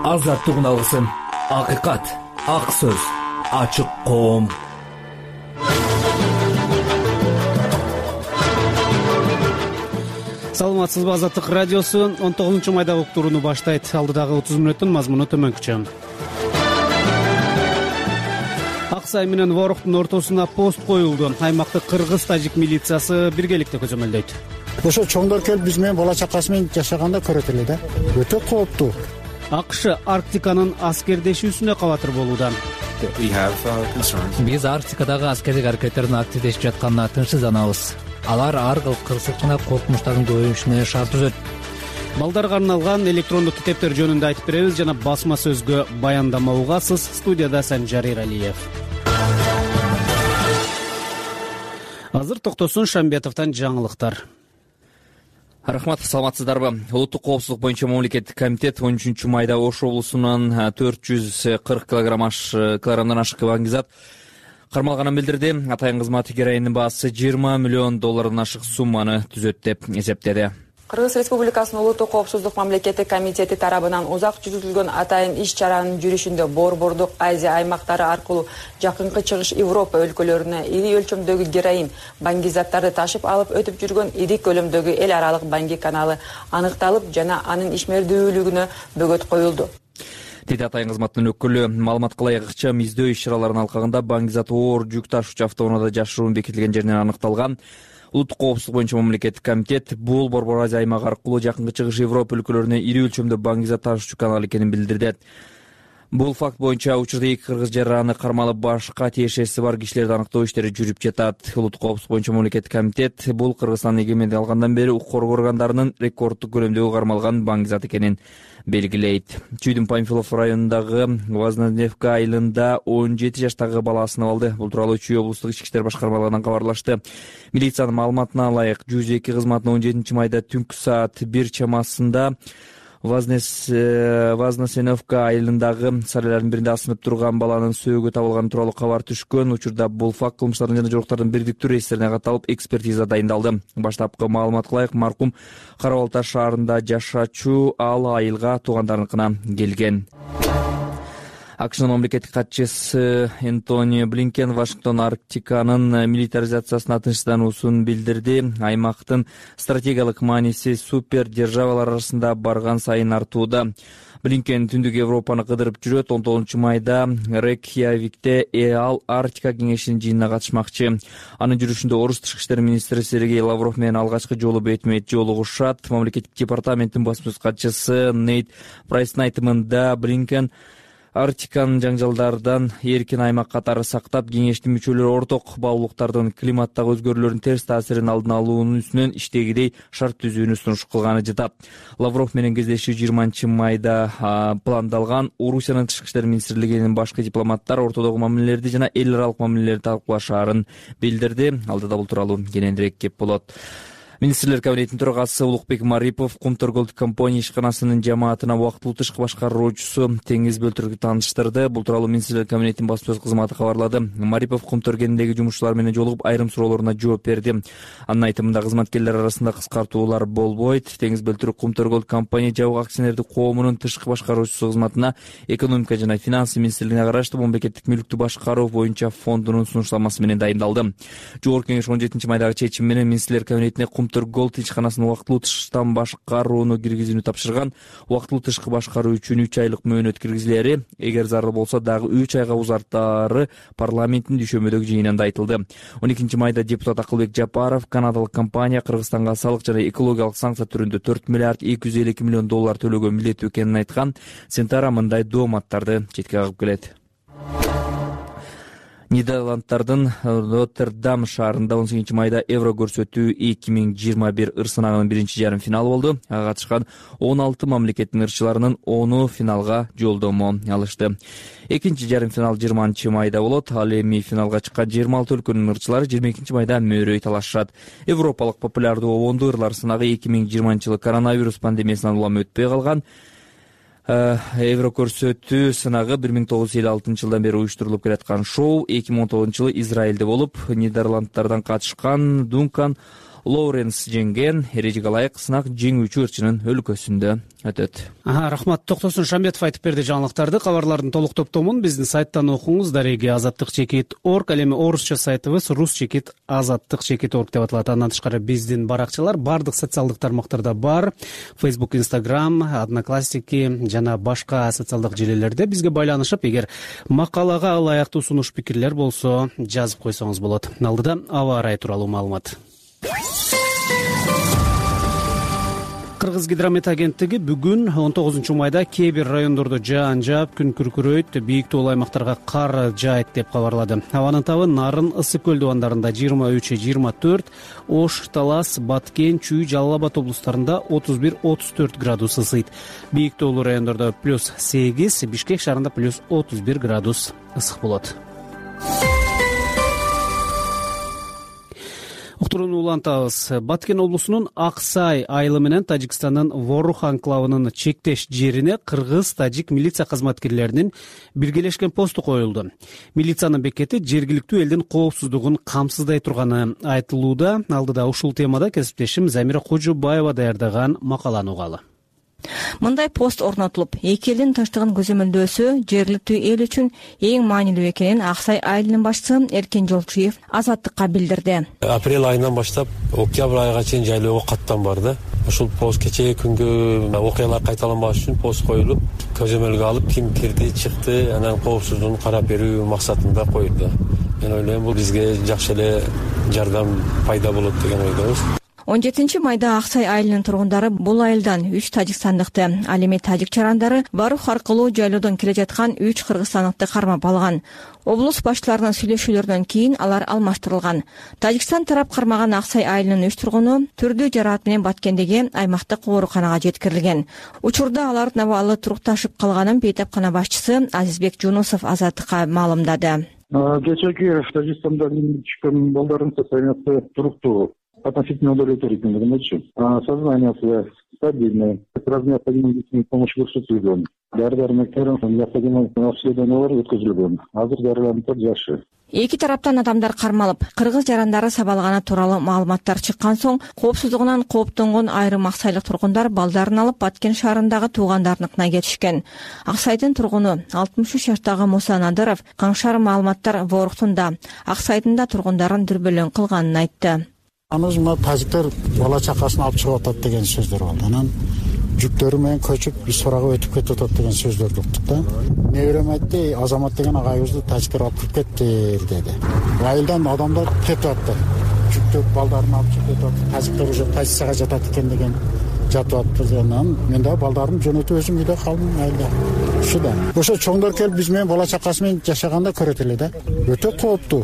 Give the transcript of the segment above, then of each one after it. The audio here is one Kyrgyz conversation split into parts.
азаттыгын алгысың. Акыйкат, ак сөз, ачык коом. Саламатсызбы, Азаттык радиосу 19-майдагы уктурууну баштайт. Алдыдагы 30 мүнөттүн мазмуну төмөнкүчө. Аксай менен Воруктун ортосуна пост коюлду. Аймактык кыргыз-тажик милициясы биргеликте көзөмөлдөйт. Ошо чоңдор келип биз менен бала чакасы менен жашаганда көрөт эле да. Өтө кооптуу. АКШ Арктиканын аскердешүүсүнө кабатыр болууда. Биз Арктикадагы аскердик аракеттердин активдешип жатканына тынчсызданабыз. Алар ар кыл кырсык жана коркунучтардын көбөйүшүнө шарт түзөт. Балдарга арналган электрондук китептер жөнүндө айтып беребиз жана басма сөзгө баяндама угасыз. Студияда Санжар Иралиев. Азыр Токтосун Шамбетовдон жаңылыктар. Рахмат, саламатсыздарбы? Улуттук коопсуздук боюнча мамлекеттик комитет 13-майда Ош облусунан 440 килограммдан ашык баңгизат кармалганын билдирди. Атайын кызматы героиндин баасы $20 миллион ашык сумманы түзөт деп эсептеди. Кыргыз Республикасынын Улуттук коопсуздук мамлекеттик комитети тарабынан узак жүргүзүлгөн атайын иш-чаранын жүрүшүндө Борбордук Азия аймактары аркылуу жакынкы чыгыш Европа өлкөлөрүнө ири өлчөмдөгү героин баңгизаттарды ташып алып өтүп жүргөн ири көлөмдөгү эл аралык баңги каналы аныкталып жана анын ишмердүүлүгүнө бөгөт коюлду. Деди атайын кызматтын өкүлү. Маалыматка ылайык ыкчам издөө иш-чараларынын алкагында баңгизат оор жүк ташуучу автоунаада жашыруун бекитилген жеринен аныкталган. Улуттук коопсуздук боюнча мамлекеттик комитет бул Борбор Азия аймагы аркылуу жакынкы чыгыш Европа өлкөлөрүнө ири өлчөмдө баңгизат ташуучу канал экенин билдирди. Бул факт боюнча учурда эки кыргыз жараны кармалып башка тиешеси бар кишилерди аныктоо иштери жүрүп жатат. Улуттук коопсуздук боюнча мамлекеттик комитет бул Кыргызстандын эгемендик алгандан бери укук коргоо органдарынын рекорддук көлөмдөгү кармалган баңгизат экенин белгилейт. Чүйдүн Памфилов районундагы Вознесеновка айылында 17 жаштагы бала асынып алды. Бул тууралуу Чүй облустук ички иштер башкармалыгынан кабарлашты. Милициянын маалыматына ылайык 102 кызматына 17-майда түнкү саат 1 чамасында Вознесеновка айылындагы сарайлардын биринде асынып турган баланын сөөгү табылганы тууралуу кабар түшкөн. Учурда бул факт кылмыштардын жана жоруктардын бирдиктүү реестрине катталып, экспертиза дайындалды. Баштапкы маалыматка ылайык маркум Кара Балта шаарында жашачу, ал айылга туугандарыныкына келген. АКШнын мамлекеттик катчысы Энтони Блинкен Вашингтон Арктиканын милитаризациясына тынчсыздануусун билдирди. Аймактын стратегиялык мааниси супер державалар арасында барган сайын артууда. Блинкен түндүк Европаны кыдырып жүрөт. 19-майда Рейкьявикте ал Арктика кеңешинин жыйынына катышмакчы. Анын жүрүшүндө Орус тышкы иштер министри Сергей Лавров менен алгачкы жолу бетме-бет жолугушат. Мамлекеттик департаменттин басма сөз катчысы Нейт Прайстын айтымында Блинкен Арктиканын жаңжалдардан эркин аймак катары сактап, кеңештин мүчөлөрү орток баалуулуктардын климаттагы өзгөрүүлөрдүн терс таасирин алдын алуунун үстүнөн иштегидей шарт түзүүнү сунуш кылганы жатат. Лавров менен кездешүү 20-майда пландалган. Орусиянын тышкы иштер министрлигинин башкы дипломаттар ортодогу мамилелерди жана эл аралык мамилелерди талкуулашаарын билдирди. Алдыда бул тууралуу кененирээк кеп болот. Министрлер кабинетинин төрагасы Улукбек Марипов Кумтөр Голд компания ишканасынын жамаатына убактылуу тышкы башкаруучусу Теңиз Бөлтүргү тааныштырды. Бул тууралуу Министрлер кабинетинин басма сөз кызматы кабарлады. Марипов Кумтөр кенендеги жумушчулар менен жолугуп, айрым суроолоруна жооп берди. Анын айтымында кызматкерлер арасында кыскартуулар болбойт. Теңиз Бөлтүргү Кумтөр Голд компания жабык акционердик коомунун тышкы башкаруучусу кызматына экономика жана финанс министрлигине караштуу мамлекеттик мүлктү башкаруу боюнча фондунун сунуштамасы менен дайындалды. Жогорку кеңеш 17-майдагы чечим менен Министрлер кабинетине Кумтөр Голд ишканасын убактылуу тышкы башкарууну киргизүүнү тапшырган. Убактылуу тышкы башкаруу үчүн 3 айлык мөөнөт киргизилери, эгер зарыл болсо дагы 3 айга узартаары парламенттин дүйшөмбөдөгү жыйынында айтылды. 12-майда депутат Акылбек Жапаров канадалык компания Кыргызстанга салык жана экологиялык санкция түрүндө $4 миллиард 252 миллион төлөгөн милдеттүү экенин айткан. Сентара мындай дооматтарды четке кагып келет. Нидерланддардын Роттердам шаарында 18-майда Евро көрсөтүү 2021 ыр сынагынын биринчи жарым финалы болду. Ага катышкан 16 мамлекеттин ырчыларынын 10 финалга жолдомо алышты. Экинчи жарым финал 20-майда болот. Ал эми финалга чыккан 26 өлкөнүн ырчылары 22-майда мөөрөй талашышат. Европалык популярдуу обондуу ырлар сынагы 2020-жылы коронавирус пандемиясынан улам өтпөй калган. Евро көрсөтүү сынагы 1956 жылдан бери уюштурулуп келаткан шоу 2019 жылы Израилде болуп, Нидерланддардан катышкан Дункан Лоуренс жеңген. Эрежеге ылайык сынак жеңүүчү ырчынын өлкөсүндө өтөт. Рахмат. Токтосун Шамбетов айтып берди жаңылыктарды. Кабарлардын толук топтомун биздин сайттан окуңуз. Дареги azattik.org. Ал эми орусча сайтыбыз rus.azattik.org деп аталат. Андан тышкары биздин баракчалар бардык социалдык тармактарда бар. Facebook, Instagram, Одноклассники жана башка социалдык желелерде бизге байланышып, эгер макалага ылайыктуу сунуш пикирлер болсо жазып койсоңуз болот. Алдыда аба ырайы тууралуу маалымат. Кыргыз гидромет агенттиги бүгүн 19 майда кээ бир райондордо жаан жаап, күн күркүрөйт, бийик тоолуу аймактарга кар жаайт деп кабарлады. Абанын табы Нарын, Ысык көл дубандарында 23-24, Ош, Талас, Баткен, Чүй, Жалал Абад облустарында 31-34 градус ысыйт. Бийик тоолуу райондордо +8, Бишкек шаарында +31 градус ысык болот. Уктурууну улантабыз. Баткен облусунун Аксай айылы менен Тажикстандын Ворух анклавынын чектеш жерине кыргыз-тажик милиция кызматкерлеринин биргелешкен посту коюлду. Милициянын бекети жергиликтүү элдин коопсуздугун камсыздай турганы айтылууда. Алдыда ушул темада кесиптешим Замира Кожобаева даярдаган макаланы угалы. Мындай пост орнотулуп, эки элдин тынчтыгын көзөмөлдөөсү жергиликтүү эл үчүн эң маанилүү экенин Аксай айылынын башчысы Эркен Жолчуев Азаттыкка билдирди. Апрель айынан баштап октябрь айга чейин жайлоого каттан барды. Ушул пост кечеги күнгү окуялар кайталанбаш үчүн пост коюлуп, көзөмөлгө алып, ким кирди, чыкты, анан коопсуздугун карап берүү максатында коюлду. Мен ойлойм, бул бизге жакшы эле жардам пайда болот деген ойдобуз. 17 майда Аксай айылынын тургундары бул айылдан 3 тажикстандыкты, ал эми тажик чарандары Барух аркылуу жайлоодон келе жаткан 3 кыргызстандыкты кармап алган. Облус башчыларынын сүйлөшүүлөрүнөн кийин алар алмаштырылган. Тажикстан тарап кармаган Аксай айылынын 3 тургуну түрдүү жараат менен Баткендеги аймактык ооруканага жеткирилген. Учурда алардын абалы турукташып калганын бейтапкана башчысы Азизбек Жунусов Азаттыкка маалымдады. Кечеги Тажикстандан чыккан балдардын состояниясы туруктуу. Относительно удовлетворительно, сознание стабильное. Сразу необходимо медицинскую помощь көрсөтүлгөн. Дары-дармектерин необходимо обследованиялар өткөзүлгөн. Азыр дарыланып жакшы. Эки тараптан адамдар кармалып, кыргыз жарандары сабалганы тууралуу маалыматтар чыккан соң, коопсуздугунан кооптонгон айрым аксайлык тургундар балдарын алып Баткен шаарындагы туугандарыныкына кетишкен. Аксайдын тургуну 63 жаштагы Муса Надыров каңшар маалыматтар Ворухтунда, Аксайдын да тургундарын дүрбөлөң кылганын айтты. Аныз тажиктер бала чакасын алып чыгып атат деген сөздөр болду. Анан жүктөрү менен көчүп Исфарага өтүп кетип атат деген сөздөрдү уктук да. Неберем айтты, Азамат деген агайыбызды тажиктер алып кирип кетти деди. Айылдан адамдар кетип атты. Жүктөр балдарын алып чыгып кетип атты. Тажиктер уже позицияга жатат экен деген жатып атты. Анан мен да балдарымды жөнөтүп өзүм үйдө калдым айылда. Ушу да. Ошо чоңдор келип биз менен бала чакасы менен жашаганда көрөт эле да. Өтө кооптуу.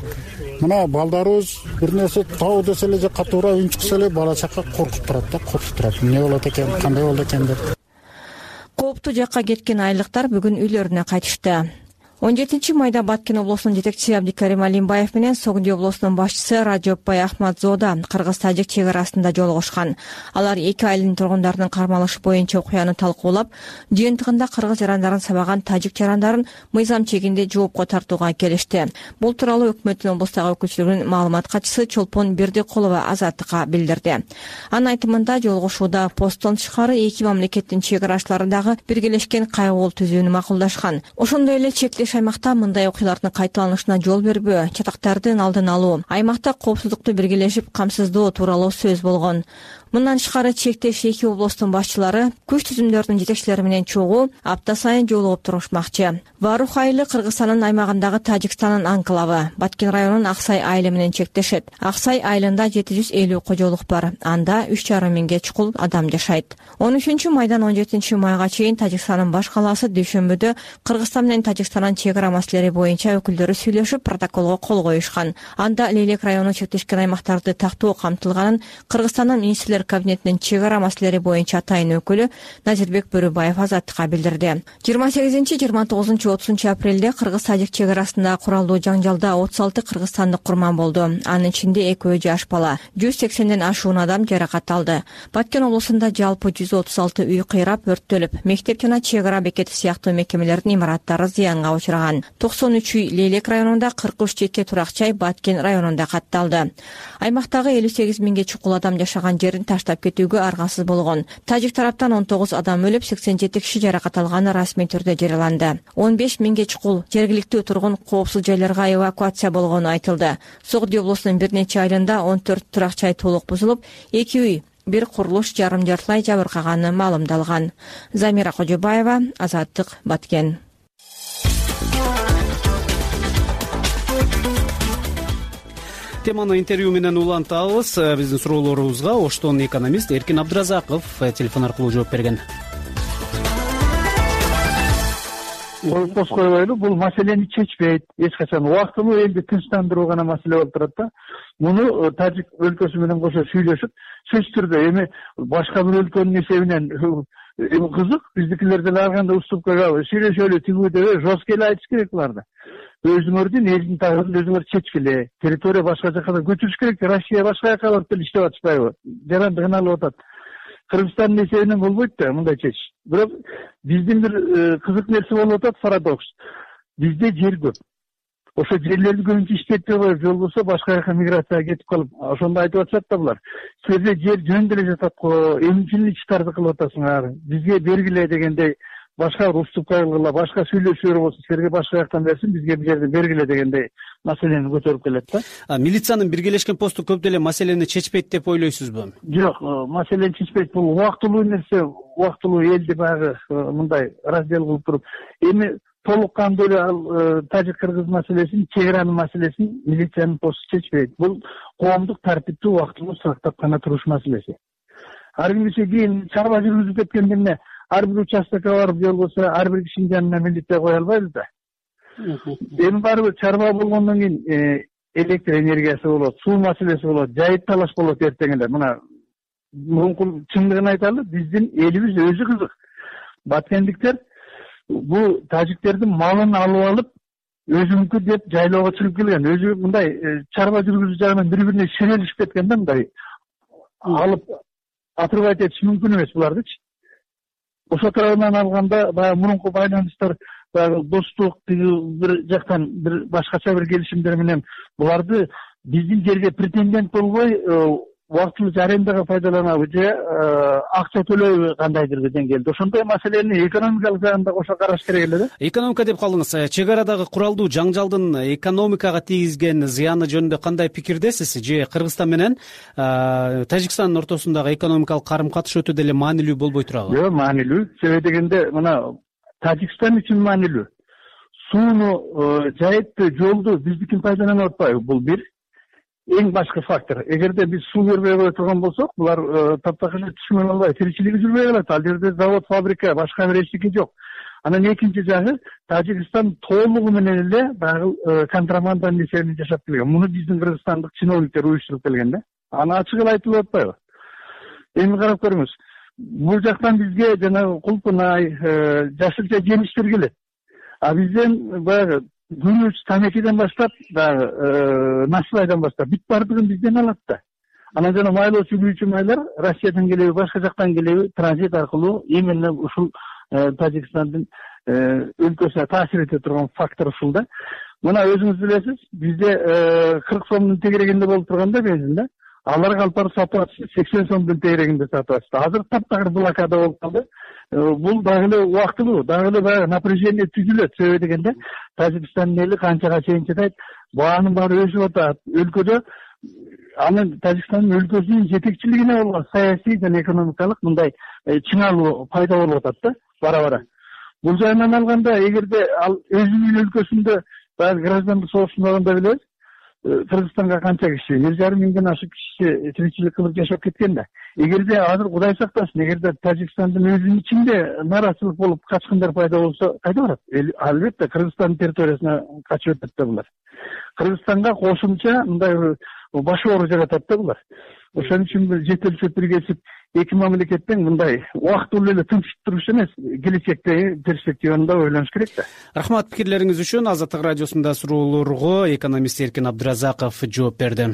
Мына балдарыбыз бир нерсе тоо десе эле же катуура үн чыкса эле бала чака коркуп турат да, коркуп турат. Эмне болот экен, кандай болду экен деп. Кооптуу жакка кеткен айылдыктар бүгүн үйлөрүнө кайтышты. 17 майда Баткен облусунун жетекчиси Абдикарим Алимбаев менен Согди облусунун башчысы Раджопбай Ахмадзода кыргыз-тажик чек арасында жолугушкан. Алар эки айылдын тургундарынын кармалышы боюнча окуяны талкуулап, жыйынтыгында кыргыз жарандарын сабаган тажик жарандарын мыйзам чегинде жоопко тартууга келишти. Бул тууралуу өкмөттүн облустагы өкүлчүлүгүнүн маалымат катчысы Чолпон Бердикулова Азаттыкка билдирди. Анын айтымында жолугушууда посттон тышкары эки мамлекеттин чек арачыларындагы биргелешкен кайгылуу түзүүнү макулдашкан. Ошондой эле чектеш аймакта мындай окуялардын кайталанышына жол бербөө, чатактардын алдын алуу, аймакта коопсуздукту биргелешип камсыздоо тууралуу сөз болгон. Мындан тышкары чектеш эки облустун башчылары күч түзүмдөрдүн жетекчилери менен чогуу апта сайын жолугуп турушмакчы. Варух айылы Кыргызстандын аймагындагы Тажикстандын анклавы. Баткен районунун Аксай айылы менен чектешет. Аксай айылында 750 кожолук бар. Анда 3,5 миңге чукул адам жашайт. 13 майдан 17 майга чейин Тажикстандын баш калаасы Дүйшөмбүдө Кыргызстан менен Тажикстандын чек ара маселелери боюнча өкүлдөрү сүйлөшүп, протоколго кол коюшкан. Анда Лейлек району чектешкен аймактарды тактоо камтылганын Кыргызстандын министрлер кабинетинин чек ара маселелери боюнча атайын өкүлү Назирбек Бөрөбаев Азаттыкка билдирди. 28-29-30 апрелде кыргыз-тажик чек арасында куралдуу жаңжалда 36 кыргызстандык курман болду. Анын ичинде 2 жаш бала, 180ден ашуун адам жаракат алды. Баткен облусунда жалпы 136 үй кыйрап, өрттөлүп, мектеп жана чек ара бекети сыяктуу мекемелердин имараттары зыянга учураган. 93 үй Лейлек районунда, 43 жеке турак-жай Баткен районунда катталды. Аймактагы 58 миңге чукул адам жашаган жерин таштап кетүүгө аргасыз болгон. Тажик тараптан 19 адам өлүп, 87 киши жаракат алганы расмий түрдө жарыяланды. 15 миңге чукул жергиликтүү тургун коопсуз жайларга эвакуация болгону айтылды. Согдий облусунун бир нече айылында 14 турак-жай толук бузулуп, 2 үй, бир курулуш жарым-жартылай жабыркаганы маалымдалган. Замира Кожобаева, Азаттык, Баткен. Теманы интервью менен улантабыз. Биздин суроолорубузга Оштон экономист Эркин Абдыразаков телефон аркылуу жооп берген. Коз койбойлу, бул маселени чечпейт. Эч качан убактылуу элди тынчтандыруу гана маселе болуп турат да. Муну Тажик өлкөсү менен кошо сүйлөшүп, сөзсүз түрдө эми башка бир өлкөнүн эсебинен кызык, биздикилер деле ар кандай уступкага сүйлөшөлү, тигүү деп жестко эле айтыш керек буларды. Өзүңөрдүн элдин тагдырын өзүңөр чечкиле. Территория башка жака көчүрүш керек. Россия башка жака барып деле иштеп атышпайбы? Жаранды кыналып атат. Кыргызстандын эсебинен болбойт да мындай чечиш. Бирок биздин бир кызык нерсе болуп атат, парадокс. Бизде жер көп. Ошо жерлерди көбүнчө иштетпей коюп, же болбосо башка жака миграцияга кетип калып, ошондо айтып атышат да булар. Силерде жер жөн деле жатат го, эмне үчүн иштарды кылып атасыңар? Бизге бергиле дегендей, башка уступка кылгыла, башка сүйлөшүүлөр болсо силерге башка жактан берсин, бизге бул жерди бергиле дегендей маселени көтөрүп келет да. Милициянын биргелешкен посту көп деле маселени чечпейт деп ойлойсузбу? Жок, маселени чечпейт. Бул убактылуу нерсе, убактылуу элди баягы мындай раздел кылып туруп, эми толук кандуу эле тажик-кыргыз маселесин, чек аранын маселесин милициянын посту чечпейт. Бул коомдук тартипти убактылуу сактап гана туруш маселеси. Ар кимсе кийин чарба жүргүзүп кеткенде эмне, ар бир участкага барып, же болбосо ар бир кишинин жанына милиция кое албайбыз да. Эми барыбыр чарба болгондон кийин электр энергиясы болот, суу маселеси болот, жайыт талаш болот эртең эле. Мына мумкун чындыгын айталы, биздин элибиз өзү кызык. Баткендиктер бул тажиктердин малын алып алып, өзүнүкү деп жайлоого чыгып келген. Өзү мындай чарба жүргүзүү жагынан бири-бирине шерелишип кеткен да, мындай алып отрывать этиш мүмкүн эмес булардычы. Ошо тарабынан алганда баягы мурунку байланыштар, баягы достук, бир жактан бир башкача бир келишимдер менен буларды биздин жерге претендент болбой, убактылуу арендага пайдаланабы же акча төлөйбү кандайдыр бир деңгээлде. Ошондой маселени экономикалык жагын да кошо караш керек эле да. Экономика деп калдыңыз. Чек арадагы куралдуу жаңжалдын экономикага тийгизген зыяны жөнүндө кандай пикирдесиз? Же Кыргызстан менен Тажикстандын ортосундагы экономикалык карым-катыш өтө деле маанилүү болбой турабы? Жок, маанилүү. Себеби дегенде мына Тажикстан үчүн маанилүү. Сууну, жайытты, жолду биздикин пайдаланып атпайбы? Бул бир. Эң башкы фактор. Эгерде биз суу бербей кое турган болсок, булар таптакыр түшмөн албай, тиричилиги жүрбөй калат. Ал жерде завод, фабрика, башка бир эчтеке жок. Анан экинчи жагы, Тажикстан толугу менен эле баягы контрабанданын эсебинен жашап келген. Муну биздин кыргызстандык чиновниктер уюштуруп келген да. Аны ачык эле айтылып атпайбы? Эми карап көрүңүз. Бул жактан бизге жанагы кулпунай, жашылча жемиштер келет. А бизден баягы күрүч, тамекиден баштап, баягы насыбайдан баштап бүт бардыгын бизден алат да. Анан жана майлоо сүйлүүчү майлар Россиядан келеби, башка жактан келеби, транзит аркылуу именно ушул Тажикстандын өлкөсүнө таасир эте турган фактор ушул да. Мына өзүңүз билесиз, бизде 40 сомдун тегерегинде болуп турганда бензин да. Алар алып барып сатып атышты, 80 сомдун тегерегинде сатып атышты. Азыр таптакыр блокада болуп калды. Бул дагы эле убактылуу, дагы эле баягы напряжение түзүлөт. Себеби дегенде Тажикстандын эли канчага чейин чыдайт, баанын баары өсүп атат. Өлкөдө анын Тажикстандын өлкөсүнүн жетекчилигине болгон саясий жана экономикалык мындай чыңалуу пайда болуп атат да, бара-бара. Бул жайынан алганда, эгерде ал өзүнүн өлкөсүндө баягы граждандык согуштун багында билебиз, Кыргызстанга канча киши, 1,5 миңден ашык киши тиричилик кылып жашап кеткен да. Эгерде азыр Кудай сактасын, эгерде Тажикстандын өзүнүн ичинде нааразычылык болуп качкындар пайда болсо, кайда барат? Албетте Кыргызстандын территориясына качып өтөт да булар. Кыргызстанга кошумча мындай баш оору жаратат да булар. Ошон үчүн жетелишип биргесип эки мамлекеттен мындай убактылуу эле тынчтык туруш эмес, келечектеги перспективаны да ойлонуш керек да. Рахмат пикирлериңиз үчүн. Азаттык радиосунда суроолорго экономист Эркин Абдыразаков жооп берди.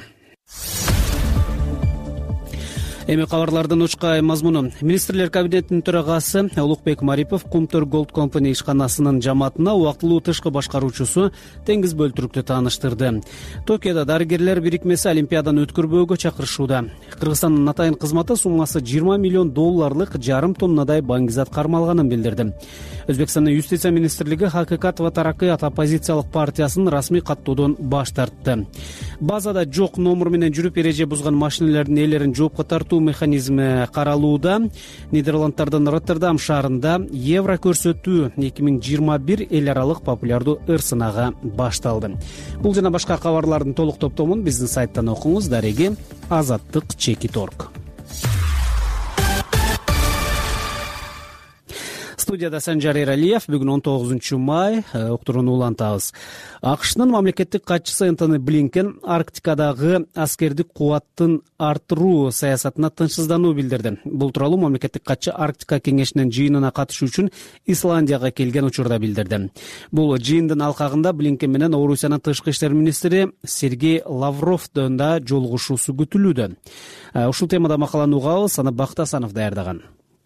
Эми кабарлардын учкай мазмуну. Министрлер кабинетинин төрагасы Улукбек Марипов Кумтөр Gold Company ишканасынын жамаатына убактылуу тышкы башкаруучусу Теңиз Бөлтүрүктү тааныштырды. Токиодо дарыгерлер бирикмеси Олимпиаданы өткөрбөөгө чакырышууда. Кыргызстандын атайын кызматы суммасы $20 миллион жарым тоннадай баңгизат кармалганын билдирди. Өзбекстандын юстиция министрлиги Хакыйкат ва Тараккыйат оппозициялык партиясын расмий каттоодон баш тартты. Базада жок номер менен жүрүп эреже бузган машиналардын ээлерин жоопко тартуу механизми каралууда. Нидерланддардын Роттердам шаарында евро көрсөтүү 2021 эл аралык популярдуу ыр-сынагы башталды. Бул жана башка кабарлардын толук топтомун биздин сайттан окуңуз. Дареги azattik.org. Студияда Санжар Эралиев. Бүгүн 19 май уктурууну улантабыз. АКШнын мамлекеттик катчысы Энтони Блинкен Арктикадагы аскердик кубаттын арттыруу саясатына тынчсыздануу билдирди. Бул тууралуу мамлекеттик катчы Арктика кеңешинин жыйынына катышуу үчүн Исландияга келген учурда билдирди. Бул жыйындын алкагында Блинкен менен Орусиянын тышкы иштер министри Сергей Лавровдун да жолугушуусу күтүлүүдө. Ушул темада макаланы угабыз. Аны Бактасанов даярдаган.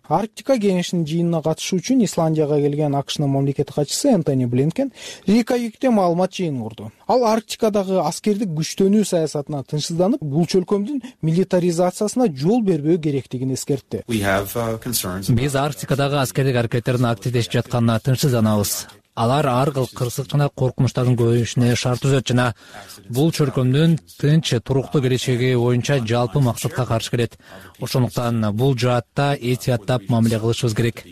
Арктика кеңешинин жыйынына катышуу үчүн Исландияга келген АКШнын мамлекеттик катчысы Энтони Блинкен Рейкьявикте маалымат жыйынын курду. Ал Арктикадагы аскердик күчтөнүү саясатына тынчсызданып, бул чөлкөмдүн милитаризациясына жол бербөө керектигин эскертти. Биз Арктикадагы аскердик аракеттердин активдешип жатканына тынчсызданабыз. Алар ар кыл кырсык жана коркунучтардын көбөйүшүнө шарт түзөт жана бул чөлкөмдүн тынч, туруктуу келечеги боюнча жалпы максатка каршы келет. Ошондуктан бул жаатта этияттап мамиле кылышыбыз керек.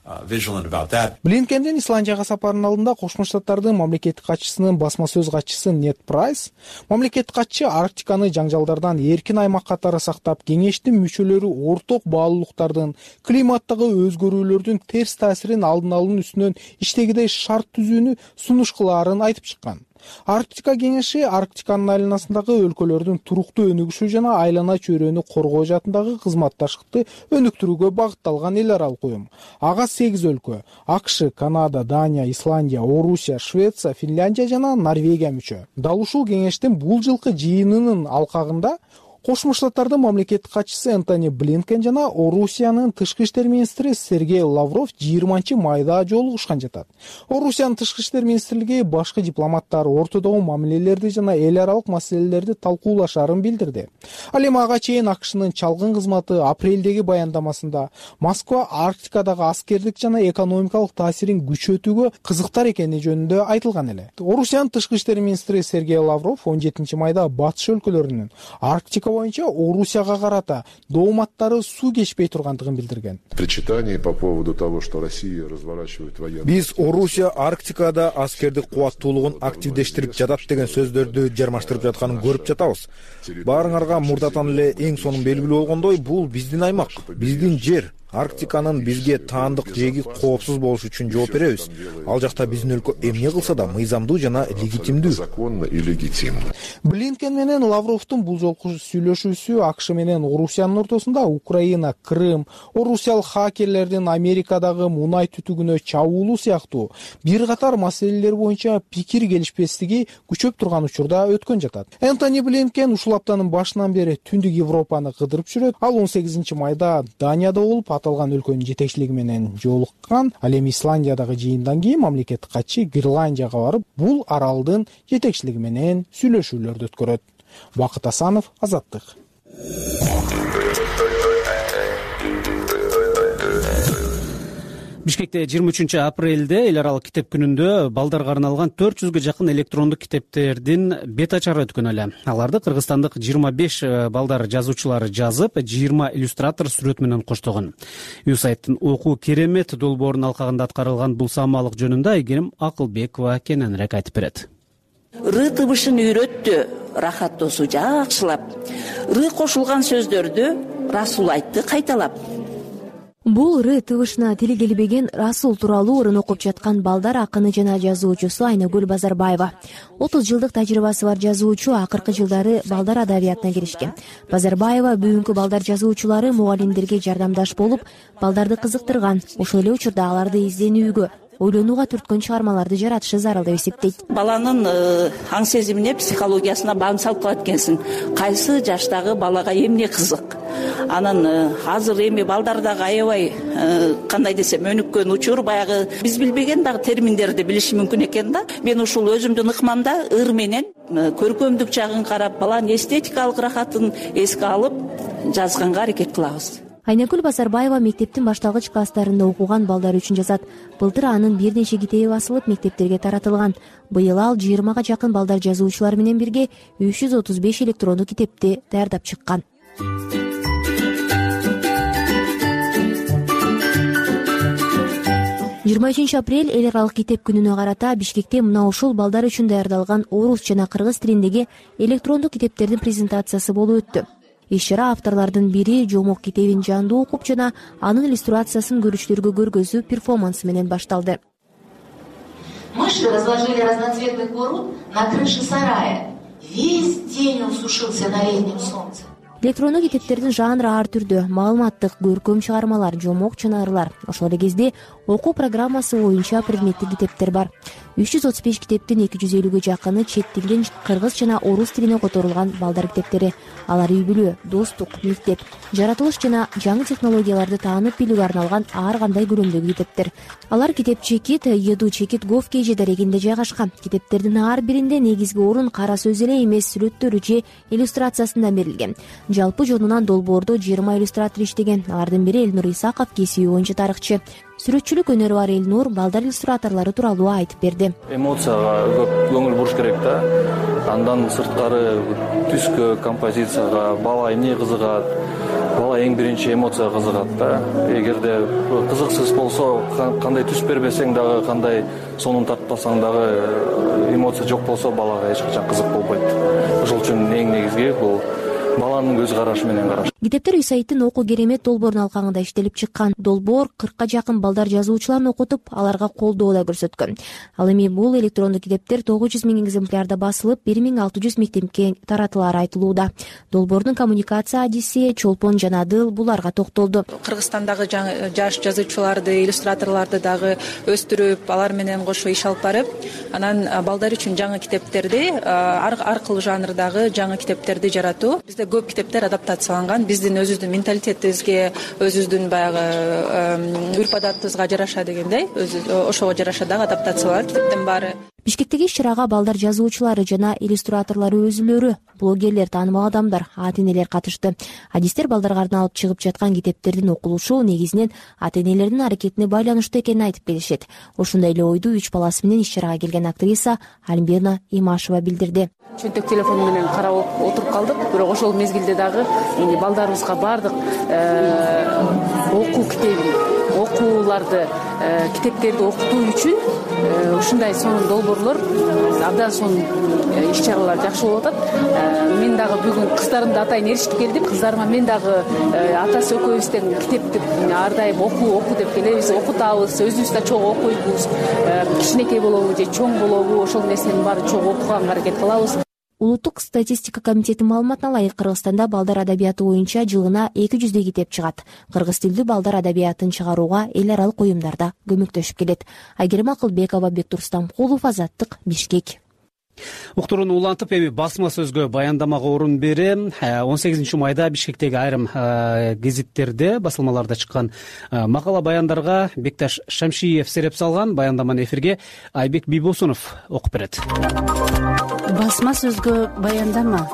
Блинкендин Исландияга сапарынын алдында Кошмо Штаттардын мамлекеттик катчысынын басма сөз катчысы Нед Прайс мамлекеттик катчы Арктиканы жаңжалдардан эркин аймак катары сактап, кеңештин мүчөлөрү орток баалуулуктардын, климаттагы өзгөрүүлөрдүн терс таасирин алдын алуунун үстүнөн иштегидей шарт түзүүнү сунуш кылаарын айтып чыккан. Арктика кеңеши Арктиканын айланасындагы өлкөлөрдүн туруктуу өнүгүшү жана айлана чөйрөнү коргоо жаатындагы кызматташтыкты өнүктүрүүгө багытталган эл аралык уюм. Ага 8 өлкө — АКШ, Канада, Дания, Исландия, Орусия, Швеция, Финляндия жана Норвегия мүчө. Дал ушул кеңештин бул жылкы жыйынынын алкагында Кошмо Штаттардын мамлекеттик катчысы Энтони Блинкен жана Орусиянын тышкы иштер министри Сергей Лавров 20 майда жолугушкан жатат. Орусиянын тышкы иштер министрлиги башкы дипломаттар ортодогу мамилелерди жана эл аралык маселелерди талкуулашарын билдирди. Ал эми ага чейин АКШнын чалгын кызматы апрелдеги баяндамасында Москва Арктикадагы аскердик жана экономикалык таасирин күчөтүүгө кызыктар экени жөнүндө айтылган эле. Орусиянын тышкы иштер министри Сергей Лавров 17 майда батыш өлкөлөрүнүн Арктика боюнча Орусияга карата дооматтары суу кечпей тургандыгын билдирген. Биз Орусия Арктикада аскердик кубаттуулугун активдештирип жатат деген сөздөрдү жармаштырып жатканын көрүп жатабыз. Баарыңарга мурдатан эле эң сонун белгилүү болгондой, бул биздин аймак, биздин жер. Арктиканын бизге таандык жеги коопсуз болуш үчүн жооп беребиз. Ал жакта биздин өлкө эмне кылса да мыйзамдуу жана легитимдүү. Блинкен менен Лавровдун бул жолку сүйлөшүүсү АКШ менен Орусиянын ортосунда Украина, Крым, орусиялык хакерлердин Америкадагы мунай түтүгүнө чабуулу сыяктуу бир катар маселелер боюнча пикир келишпестиги күчөп турган учурда өткөн жатат. Энтони Блинкен ушул аптанын башынан бери Түндүк Европаны кыдырып жүрөт. Ал 18 майда Данияда болуп аталган өлкөнүн жетекчилиги менен жолуккан. Ал эми Исландиядагы жыйындан кийин мамлекеттик катчы Гренландияга барып, бул аралдын жетекчилиги менен сүйлөшүүлөрдү өткөрөт. Бакыт Асанов, Азаттык. Бишкекте 23 апрелде эл аралык китеп күнүндө балдарга арналган 400гө жакын электрондук китептердин бет ачары өткөн эле. Аларды кыргызстандык 25 балдар жазуучулары жазып, 20 иллюстратор сүрөт менен коштогон. USAID-тын окуу керемет долбоорунун алкагында аткарылган бул самаалык жөнүндө Айгерим Акылбекова кененирээк айтып берет. Ры тыбышын үйрөттү, рахаттоосу жакшылап. Ры кошулган сөздөрдү Расул айтты кайталап. Бул ыры тыбышына тили келбеген Расул тууралуу ырын окуп жаткан балдар акыны жана жазуучусу Айнагүл Базарбаева. 30 жылдык тажрыйбасы бар жазуучу акыркы жылдары балдар адабиятына киришкен. Базарбаева бүгүнкү балдар жазуучулары мугалимдерге жардамдаш болуп, балдарды кызыктырган, ошол эле учурда аларды изденүүгө, ойлонууга түрткөн чыгармаларды жаратышы зарыл деп эсептейт. Баланын аң сезимине, психологиясына баам салып калат экенсиң. Кайсы жаштагы балага эмне кызык? Анан азыр эми балдар дагы аябай кандай десем өнүккөн учур, баягы биз билбеген дагы терминдерди билиши мүмкүн экен да. Мен ушул өзүмдүн ыкмамда ыр менен көркөмдүк жагын карап, баланын эстетикалык рахатын эске алып жазганга аракет кылабыз. Айнагүл Базарбаева мектептин башталгыч класстарында окуган балдар үчүн жазат. Былтыр анын бир нече китеби басылып, мектептерге таратылган. Быйыл ал 20га жакын балдар жазуучулар менен бирге 335 электрондук китепти даярдап чыккан. 23 апрель эл аралык китеп күнүнө карата Бишкекте мына ушул балдар үчүн даярдалган орус жана кыргыз тилиндеги электрондук китептердин презентациясы болуп өттү. Иш-чара авторлордун бири Жомок китебин жандуу окуп жана анын иллюстрациясын көрүүчүлөргө көргөзүү перформансы менен башталды. Мыши разложили разноцветный курут на крыше сарая. Весь день он сушился на летнем солнце. Электрондук китептердин жанры ар түрдүү, маалыматтык, көркөм чыгармалар, жомок жана ырлар. Ошол эле кезде окуу программасы боюнча предметтик китептер бар. 335 китептин 250-гө жакыны чет тилден кыргыз жана орус тилине которулган балдар китептери. Алар үй бүлө, достук, мектеп, жаратылыш жана жаңы технологияларды таанып билүүгө арналган ар кандай көлөмдөгү китептер. Алар китеп чекит, Еду чекит Говкеже дарегинде жайгашкан. Китептердин ар биринде негизги орун кара сөз эле эмес, сүрөттөрү же иллюстрациясында берилген. Жалпы жонунан долбоордо 20 иллюстратор иштеген. Алардын бири Элнур Исаков, кесиби боюнча тарыхчы. Сүрөтчүлүк өнөрү бар Элнур балдар иллюстраторлору тууралуу айтып берди. Эмоцияга көп көңүл буруш керек да. Андан сырткары түскө, композицияга бала эмне кызыгат? Бала эң биринчи эмоцияга кызыгат да. Эгерде кызыксыз болсо, кандай түс бербесең дагы, кандай сонун тартпасаң дагы эмоция жок болсо, балага эч качан кызык болбойт. Ошол үчүн эң негизги бул баланын көз карашы менен караш. Китептер үй-сайттын окуу керемет долбоорунун алкагында иштелип чыккан. Долбоор 40ка жакын балдар жазуучуларын окутуп, аларга колдоо да көрсөткөн. Ал эми бул электрондук китептер 900 000 экземплярда басылып, 1600 мектепке таратылары айтылууда. Долбоордун коммуникация адиси Чолпон жана Дыл буларга токтолду. Кыргызстандагы жаш жазуучуларды, иллюстраторлорду дагы өстүрүп, алар менен кошо иш алып барып, анан балдар үчүн жаңы китептерди, ар кыл жанрдагы жаңы китептерди жаратуу. Бизде көп китептер адаптацияланган. Биздин өзүбүздүн менталитетибизге, өзүбүздүн баягы үрп адатыбызга жараша дегендей, ошого жараша дагы адаптацияланат китептин баары. Бишкектеги иш-чарага балдар жазуучулары жана иллюстраторлору өзүлөрү, блогерлер, таанымал адамдар, ата-энелер катышты. Адистер балдарга арналып чыгып жаткан китептердин окулушу негизинен ата-энелердин аракетине байланыштуу экенин айтып келишет. Ошондой эле ойду 3 баласы менен иш-чарага келген актриса Альбина Имашева билдирди. Чөнтөк телефон менен карап отуруп калдык, бирок ошол мезгилде дагы балдарыбызга баардык окуу китебин, окууларды, китептерди окутуу үчүн ушундай сонун долбоорлор, абдан сонун иш-чаралар жакшы болуп атат. Мен дагы бүгүн кыздарымды атайын ээрчитип келдим. Кыздарыма мен дагы атасы экөөбүздөн китепти ар дайым оку деп келебиз, окутабыз, өзүбүз да чогуу окуйбуз. Кичинекей болобу же чоң болобу, ошол нерсенин баарын чогуу окуганга аракет кылабыз. Улуттук статистика комитетинин маалыматына ылайык Кыргызстанда балдар адабияты боюнча жылына 200 китеп чыгат. Кыргыз тилдүү балдар адабиятын чыгарууга эл аралык уюмдарда көмөктөшүп келет. Айгерим Акылбекова, Бектур Стамкулов, Азаттык, Бишкек. Уктурууну улантып, эми басма сөзгө баяндамага орун берем. 18 майда Бишкектеги айрым гезиттерде, басылмаларда чыккан макала баяндарга Бекташ Шамшиев сереп салган. Баяндаманы эфирге Айбек Бийбосунов окуп берет. Басма сөзгө баяндама.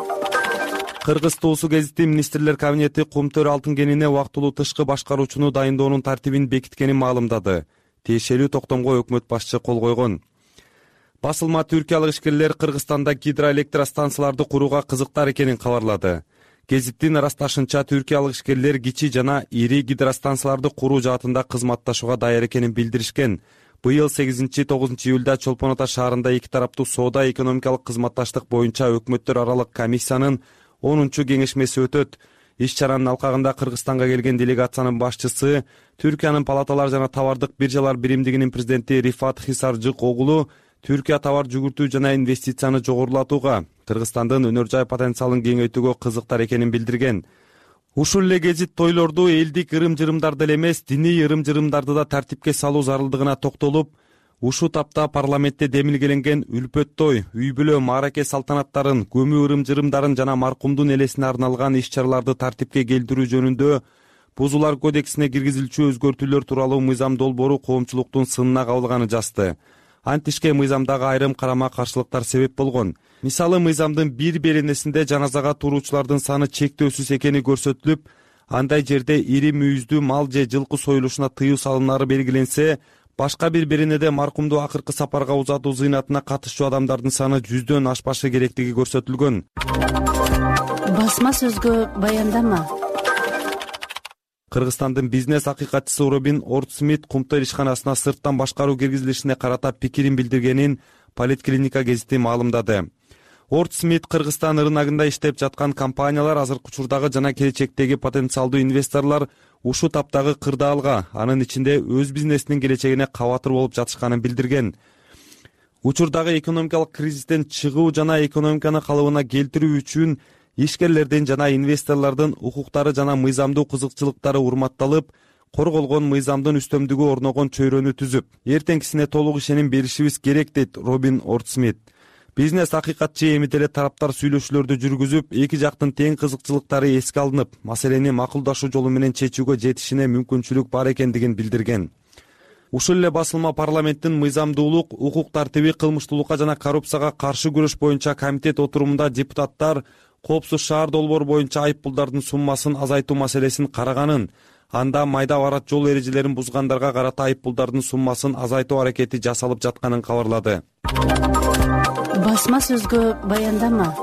Кыргыз Туусу гезити министрлер кабинети Кумтөр алтын кенине убактылуу тышкы башкаруучуну дайындоонун тартибин бекиткенин маалымдады. Тиешелүү токтомго өкмөт башчы кол койгон. Басылма түркиялык ишкерлер Кыргызстанда гидроэлектростанцияларды курууга кызыктар экенин кабарлады. Гезиттин ырасташынча, түркиялык ишкерлер кичи жана ири гидростанцияларды куруу жаатында кызматташууга даяр экенин билдиришкен. Быйыл 8-9 июлда Чолпон Ата шаарында эки тараптуу соода экономикалык кызматташтык боюнча өкмөттөр аралык комиссиянын 10-кеңешмеси өтөт. Иш чаранын алкагында Кыргызстанга келген делегациянын башчысы, Түркиянын палаталар жана товардык биржалар биримдигинин президенти Рифат Хисаржык огулу Түркия товар жүгүртүү жана инвестицияны жогорулатууга, Кыргызстандын өнөр жай потенциалын кеңейтүүгө кызыктар экенин билдирген. Ушул эле гезит тойлорду элдик ырым-жырымдарды эле эмес, диний ырым-жырымдарды да тартипке салуу зарылдыгына токтолуп, ушул тапта парламентте демилгеленген үлпөт той, үй бүлө, маараке салтанаттарын, көмүү ырым-жырымдарын жана маркумдун элесине арналган иш-чараларды тартипке келтирүү жөнүндө Бузуулар кодексине киргизилчү өзгөртүүлөр тууралуу мыйзам долбоору коомчулуктун сынына кабылганын жазды. Антишке мыйзамдагы айрым карама-каршылыктар себеп болгон. Мисалы, мыйзамдын бир беренесинде жаназага туруучулардын саны чектөөсүз экени көрсөтүлүп, андай жерде ири мүйүздүү мал же жылкы союлушуна тыюу салынары белгиленсе, башка бир беренеде маркумду акыркы сапарга узатуу зыйнатына катышчу адамдардын саны 100дөн ашпашы керектиги көрсөтүлгөн. Басма сөзгө баяндама. Кыргызстандын бизнес акыйкатчысы Робин Ортсмит Кумтөр ишканасына сырттан башкаруу киргизилишине карата пикирин билдиргенин Политклиника гезити маалымдады. Ортсмит Кыргызстан рыногунда иштеп жаткан компаниялар, азыркы учурдагы жана келечектеги потенциалдуу инвесторлор ушул таптагы кырдаалга, анын ичинде өз бизнесинин келечегине кабатыр болуп жатышканын билдирген. Учурдагы экономикалык кризистен чыгуу жана экономиканы калыбына келтирүү үчүн ишкерлердин жана инвесторлордун укуктары жана мыйзамдуу кызыкчылыктары урматталып, корголгон мыйзамдын үстөмдүгү орногон чөйрөнү түзүп, эртеңкисине толук ишеним беришибиз керек, дейт Робин Ортсмит. Бизнес акыйкатчы эми деле тараптар сүйлөшүүлөрдү жүргүзүп, эки жактын тең кызыкчылыктары эске алынып, маселени макулдашуу жолу менен чечүүгө жетишине мүмкүнчүлүк бар экендигин билдирген. Ушул эле басылма парламенттин мыйзамдуулук, укук тартиби, кылмыштуулукка жана коррупцияга каршы күрөш боюнча комитет отурумунда депутаттар Коопсуз шаар долбоору боюнча айыппулдардын суммасын азайтуу маселесин караганын, анда майда барат жол эрежелерин бузгандарга карата айыппулдардын суммасын азайтуу аракети жасалып жатканын кабарлады. Басма сөзгө баяндама.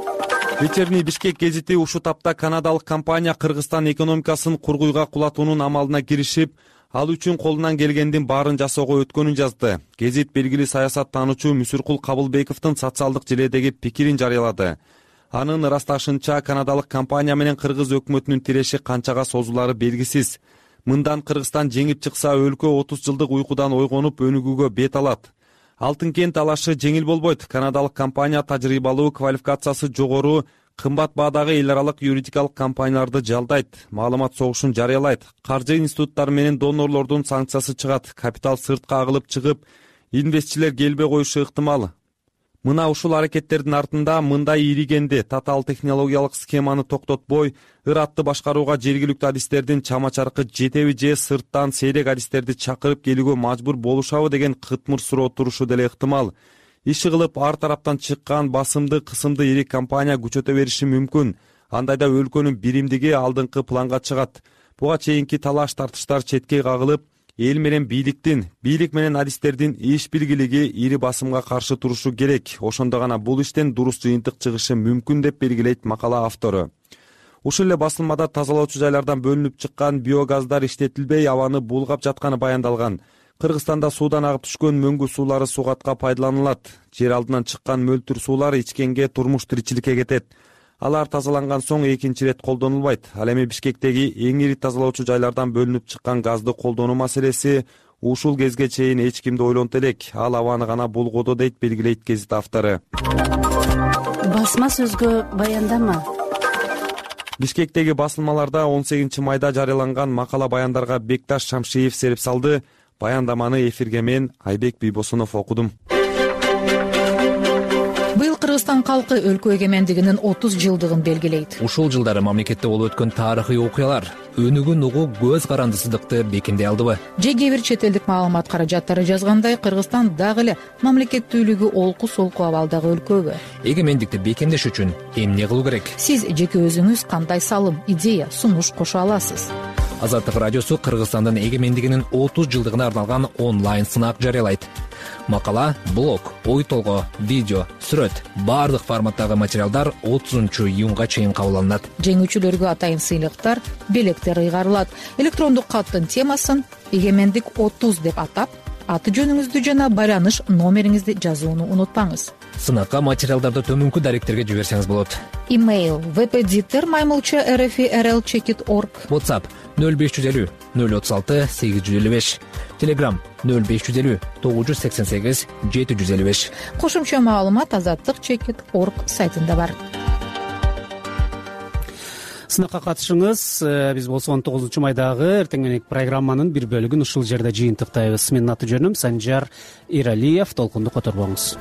Вечерний Бишкек гезити ушул тапта канадалык компания Кыргызстан экономикасын кургуйга кулатуунун амалына киришип, ал үчүн колунан келгендин баарын жасоого өткөнүн жазды. Гезит белгилүү саясаттануучу Мүсүркул Кабылбековдун социалдык желедеги пикирин жарыялады. Анын ырасташынча, канадалык компания менен кыргыз өкмөтүнүн тиреши канчага созулары белгисиз. Мындан Кыргызстан жеңип чыкса, өлкө 30 жылдык уйкудан ойгонуп өнүгүүгө бет алат. Алтын кент талашы жеңил болбойт. Канадалык компания тажрыйбалуу, квалификациясы жогору, кымбат баадагы эл аралык юридикалык компанияларды жалдайт, маалымат согушун жарыялайт, каржы институттары менен донорлордун санкциясы чыгат, капитал сыртка агылып чыгып, инвестчилер келбей коюшу ыктымал. Мына ушул аракеттердин артында мындай иригенди, татаал технологиялык схеманы токтотпой, ыратты башкарууга жергиликтүү адистердин чама-чаркы жетеби же сырттан сейрек адистерди чакырып келүүгө мажбур болушабы деген кытмыр суроо турушу деле ыктымал. Иши кылып ар тараптан чыккан басымды, кысымды ири компания күчөтө бериши мүмкүн. Андайда өлкөнүн биримдиги алдыңкы планга чыгат. Буга чейинки талаш тартыштар четке кагылып, эл менен бийлик менен адистердин иш биргилиги ири басымга каршы турушу керек. Ошондо гана бул иштен дурус жыйынтык чыгышы мүмкүн деп белгилейт макала автору. Ушул эле басылмада тазалоочу жайлардан бөлүнүп чыккан биогаздар иштетилбей абаны булгап жатканы баяндалган. Кыргызстанда суудан агып түшкөн мөңгү суулары сугатка пайдаланылат. Жер алдынан чыккан мөлтүр суулар ичкенге, турмуш тиричиликке кетет. Алар тазаланган соң экинчи ирет колдонулбайт. Ал эми Бишкектеги эң ири тазалоочу жайлардан бөлүнүп чыккан газды колдонуу маселеси ушул кезге чейин эч кимди ойлонто элек. Ал абаны гана булгоодо, дейт белгилейт гезит автору. Басма сөзгө баяндама. Бишкектеги басылмаларда 18 майда жарыяланган макала баяндарга Бекташ Шамшиев сереп салды. Баяндаманы эфирге мен Айбек Бийбосунов окудум. Быйыл Кыргызстан калкы өлкө эгемендигинин 30 жылдыгын белгилейт. Ушул жылдары мамлекетте болуп өткөн тарыхый окуялар өнүгүүн угуу көз карандысыздыкты бекемдей алдыбы? Же кээ бир чет элдик маалымат каражаттары жазгандай, Кыргызстан дагы эле мамлекеттүүлүгү олку-солку абалдагы өлкөбү? Эгемендикти бекемдеш үчүн эмне кылуу керек? Сиз жеке өзүңүз кандай салым, идея, сунуш кошо аласыз? Азаттык радиосу Кыргызстандын эгемендигинин 30 жылдыгына арналган онлайн сынак жарыялайт. Макала, блог, ой толгоо, видео, сүрөт, баардык форматтагы материалдар 30-июнга чейин кабыл алынат. Жеңүүчүлөргө атайын сыйлыктар, белектер ыйгарылат. Электрондук каттын темасын «Эгемендик 30» деп атап, аты жөнүңүздү жана байланыш номериңизди жазууну унутпаңыз. Сынакка материалдарды төмөнкү даректерге жиберсеңиз болот. Email vpditter@rfi.rl.org. WhatsApp 0550 036 855. Telegram 0550 988 755. Кошумча маалымат азаттык.org сайтында бар. Сынакка катышыңыз. Биз болсо 19 майдагы эртеңгенки программанын бир бөлүгүн ушул жерде жыйынтыктайбыз. Менин аты жөнүм Санжар Иралиев. Толкунду которбоңуз.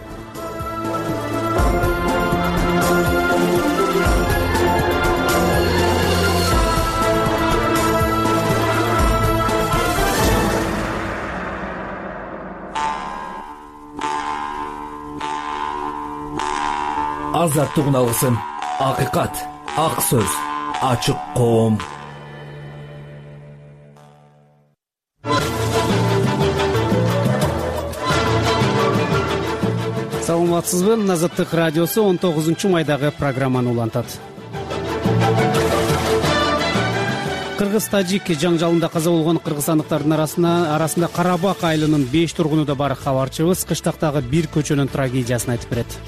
Азаттык алгысын, акыйкат, ак сөз, ачык коом. Саламатсызбы? Азаттык радиосу 19 майдагы программаны улантат. Кыргыз-тажик жаңжалында каза болгон кыргызстандыктардын арасында Карабак айылынын 5 тургуну да бар. Кабарчыбыз кыштактагы бир көчөнүн трагедиясын айтып берет.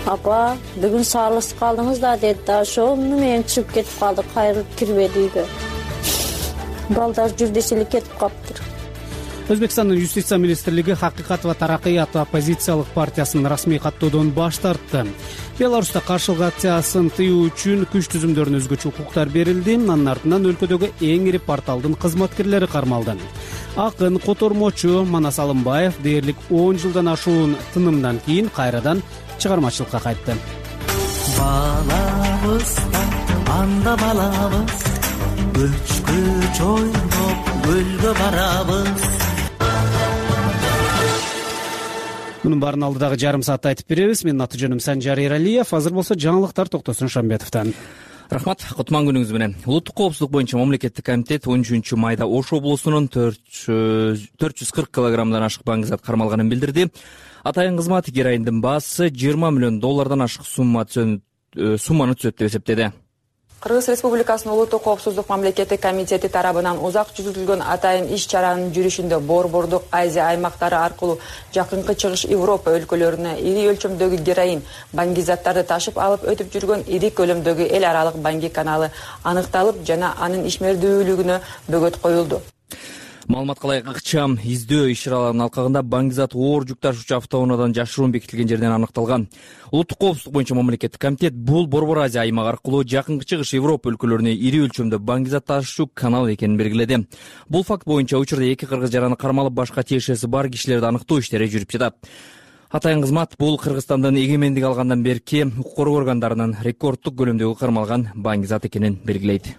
Апа, бүгүн саалыш калдыңыз да деди да, ошол менен чыгып кетип калдык, кайрылып кирбеди үйгө. Балдар жүр десе эле кетип калыптыр. Өзбекстандын Юстиция министрлиги Хакыйкат ва Тараккыйат оппозициялык партиясын расмий каттоодон баш тартты. Беларуста каршылык акциясын тыюу үчүн күч түзүмдөрүнө өзгөчө укуктар берилди. Анын артынан өлкөдөгү эң ири порталдын кызматкерлери кармалды. Акын, котормочу Манас Алымбаев дээрлик 10 жылдан ашуун тынымдан кийин кайрадан чыгармачылыкка кайтты. Балабызда анда балабыз, көчкү чойноп көлгө барабыз. Мунун баарын алдыдагы жарым саатта айтып беребиз. Менин аты жөнүм Санжар Иралиев. Азыр болсо жаңылыктар Токтосун Шамбетовдон. Рахмат, кутман күнүңүз менен. Улуттук коопсуздук боюнча мамлекеттик комитет 13 майда Ош облусунун 440 килограммдан ашык баңгизат кармалганын билдирди. Атайын кызмат героиндин баасы $20 миллион ашык сумманы түзөт деп эсептеди. Кыргыз Республикасынын Улуттук коопсуздук мамлекеттик комитети тарабынан узак жүргүзүлгөн атайын иш-чаранын жүрүшүндө Борбордук Азия аймактары аркылуу жакынкы чыгыш Европа өлкөлөрүнө ири өлчөмдөгү героин баңгизаттарды ташып алып өтүп жүргөн ири көлөмдөгү эл аралык баңги каналы аныкталып жана анын ишмердүүлүгүнө бөгөт коюлду. Маалыматка ылайык ыкчам издөө иш-чараларынын алкагында баңгизат оор жүк ташуучу автоунаадан жашыруун бекитилген жерден аныкталган. Улуттук коопсуздук боюнча мамлекеттик комитет бул Борбор Азия аймагы аркылуу жакынкы чыгыш Европа өлкөлөрүнө ири өлчөмдө баңгизат ташуучу канал экенин белгиледи. Бул факт боюнча учурда 2 кыргыз жараны кармалып башка тиешеси бар кишилерди аныктоо иштери жүрүп жатат. Атайын кызмат бул Кыргызстандын эгемендик алгандан берки укук коргоо органдарынын рекорддук көлөмдөгү кармалган баңгизат экенин белгилейт.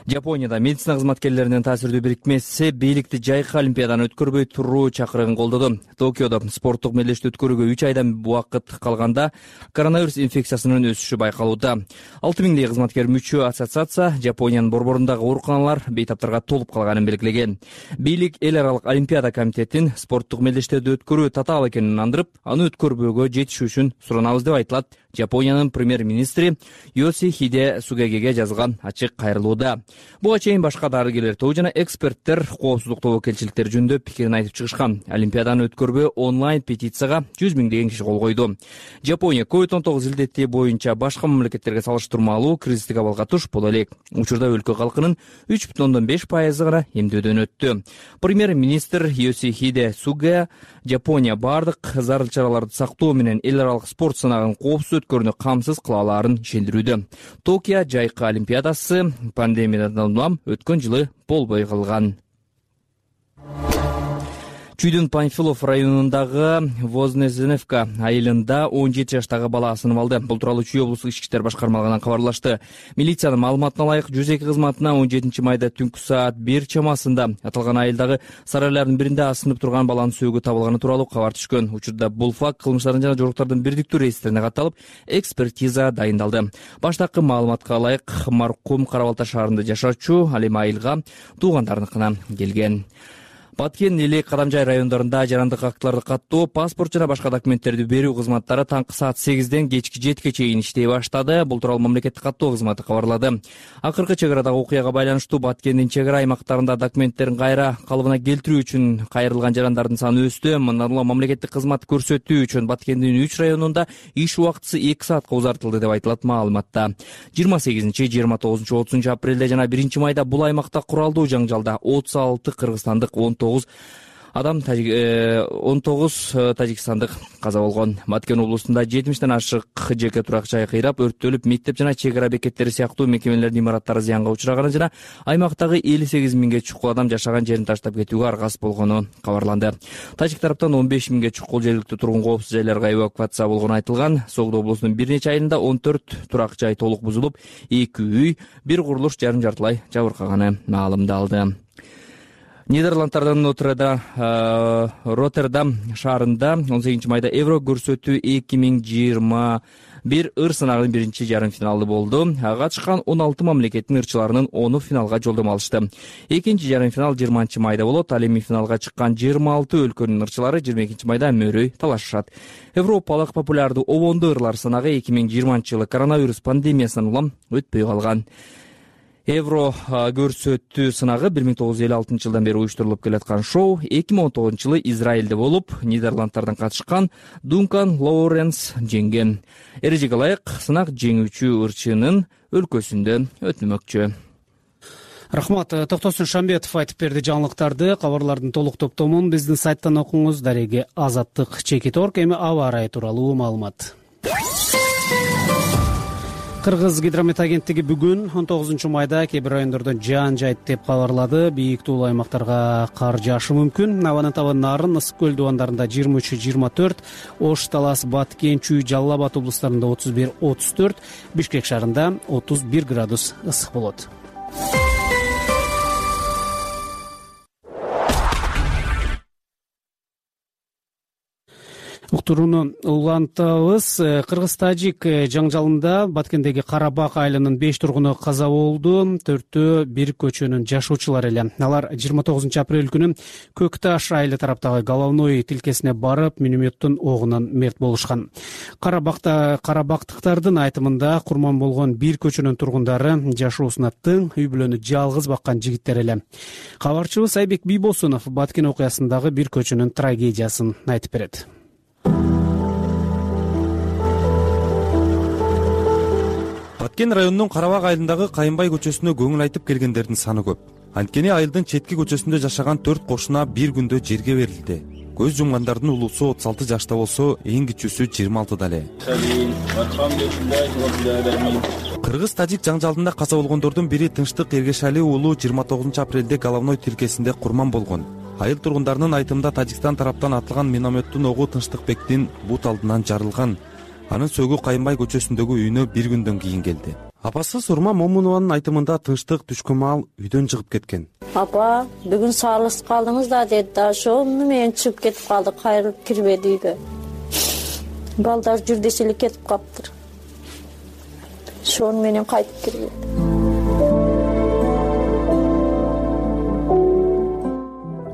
Жапонияда медицина кызматкерлеринин таасирдүү бирикмеси бийликти жайкы олимпиаданы өткөрбөй туруу чакырыгын колдоду. Токиодо спорттук мелдешти өткөрүүгө 3 айдан убакыт калганда коронавирус инфекциясынын өсүшү байкалууда. 6000 кызматкер мүчө ассоциация Жапониянын борборундагы ооруканалар бейтаптарга толуп калганын белгилеген. Бийлик эл аралык олимпиада комитетин спорттук мелдештерди өткөрүү татаал экенин ынандырып, аны өткөрбөөгө жетишүү үчүн суранабыз деп айтылат. Жапониянын премьер-министри Йосихиде Сугагеге жазган ачык кайрылууда. Буга чейин башка дарыгерлер тобу жана эксперттер коопсуздук тобокелчиликтери жөнүндө пикирин айтып чыгышкан. Олимпиаданы өткөрбөө онлайн петицияга 100 000 киши кол койду. Жапония COVID-19 илдети боюнча башка мамлекеттерге салыштырмалуу кризистик абалга туш боло элек. Учурда өлкө калкынын 3,5% гана эмдөөдөн өттү. Премьер-министр Йосихиде Суга Жапония бардык зарыл чараларды сактоо менен эл аралык спорт сынагын коопсуз өткөрүүнү камсыз кыла алаарын ишендирүүдө. Токио жайкы олимпиадасы пандемиядан улам өткөн жылы болбой калган. Чүйдүн Панфилов районундагы Вознесеневка айылында 17 жаштагы бала асынып алды. Бул тууралуу Чүй облустук ички иштер башкармалыгынан кабарлашты. Милициянын маалыматына ылайык 102 кызматына 17 майда түнкү саат 1 чамасында аталган айылдагы сарайлардын биринде асынып турган баланын сөөгү табылганы тууралуу кабар түшкөн. Учурда бул факт кылмыштардын жана жоруктардын бирдиктүү реестрине катталып, экспертиза дайындалды. Баштапкы маалыматка ылайык маркум Кара Балта шаарында жашачу, ал эми айылга туугандарыныкына келген. Баткен, Элек, Кадамжай райондорунда жарандык актыларды каттоо, паспорт жана башка документтерди берүү кызматтары таңкы саат 8ден кечки 7ге чейин иштей баштады. Бул тууралуу мамлекеттик каттоо кызматы кабарлады. Акыркы чек арадагы окуяга байланыштуу Баткендин чек ара аймактарында документтерин кайра калыбына келтирүү үчүн кайрылган жарандардын саны өстү. Мындан улам мамлекеттик кызмат көрсөтүү үчүн Баткендин 3 районунда иш убактысы 2 саатка узартылды деп айтылат маалыматта. 28, 29, 30 апрелде жана 1 майда бул аймакта куралдуу жаңжалда 36 кыргызстандык, 19 тажикстандык каза болгон. Баткен облусунда 70ден ашык жеке турак жай кыйрап, өрттөлүп, мектеп жана чек ара бекеттери сыяктуу мекемелердин имараттары зыянга учураганы жана аймактагы 58 миңге чукул адам жашаган жерин таштап кетүүгө аргасыз болгону кабарланды. Тажик тараптан 15 миңге чукул жергиликтүү тургун коопсуз жайларга эвакуация болгону айтылган. Согдо облусунун бир нече айылында 14 турак жай толук бузулуп, 2 үй, бир курулуш жарым-жартылай жабыркаганы маалымдалды. Нидерландтардын Роттердам шаарында 18 майда Евро көрсөтүү 2021 ыр сынагынын биринчи жарым финалы болду. Катышкан 16 мамлекеттин ырчыларынын 10 финалга жолдомо алышты. Экинчи жарым финал 20 майда болот. Ал эми финалга чыккан 26 өлкөнүн ырчылары 22 майда мөрөй талашышат. Европалык популярдуу обондуу ырлар сынагы 2020 жылы коронавирус пандемиясынан улам өтпөй калган. Евро көрсөтүү сынагы 1956 жылдан бери уюштурулуп келаткан шоу 2019 жылы Израилде болуп, Нидерландтардан катышкан Дункан Лоуренс жеңген. Эрежеге ылайык сынак жеңүүчү ырчынын өлкөсүндө өтмөкчү. Рахмат. Токтосун Шамбетов айтып берди жаңылыктарды. Кабарлардын толук топтомун биздин сайттан окуңуз. Дареги Азаттык Чекит.орг. Эми аба ырайы тууралуу маалымат. Кыргыз гидромет агенттиги бүгүн 19 майда кээ бир райондордо жаан жайт деп кабарлады. Бийик туулуу аймактарга кар жаашы мүмкүн. Абанын табы Нарын, Ысык көл дубандарында 23-24, Ош, Талас, Баткен, Чүй, Жалал Абад облустарында 31-34, Бишкек шаарында 31 градус ысык болот. Уктурууну улантабыз. Кыргыз-тажик жаңжалында Баткендеги Карабак айылынын 5 тургуну каза болду. 4-төө бир көчөнүн жашоочулары эле. Алар 29 апрель күнү Көкташ айылы тараптагы головной тилкесине барып, минометтин огунан мерт болушкан. Карабактыктардын айтымында курман болгон бир көчөнүн тургундары жашоосуна тың, үй бүлөнү жалгыз баккан жигиттер эле. Кабарчыбыз Айбек Бийбосунов Баткен окуясындагы бир көчөнүн трагедиясын айтып берет. Баткен районунун Карабак айылындагы Кайынбай көчөсүнө көңүл айтып келгендердин саны көп. Анткени айылдын четки көчөсүндө жашаган 4 кошуна бир күндө жерге берилди. Көз жумгандардын улуусу 36 жашта болсо, эң кичүүсү 26 эле. Кыргыз-тажик жаңжалында каза болгондордун бири Тынчтык Эргешали уулу 29 апрелде головной тилкесинде курман болгон. Айыл тургундарынын айтымында Тажикстан тараптан атылган минометтин огу Тынчтыкбектин бут алдынан жарылган. Анын сөгү Кайынбай көчөсүндөгү үйүнө бир күндөн кийин келди. Апасы Сурма Момунованын айтымында Тынчтык түшкөн маал үйдөн чыгып кеткен. Апа, бүгүн салыс калдыңыз да деди да, ошол менен чыгып кетип калды, кайрылып кирбеди үйгө. Балдар жүрдөс эле кетип калыптыр. Ошол менен кайтып кирбеди.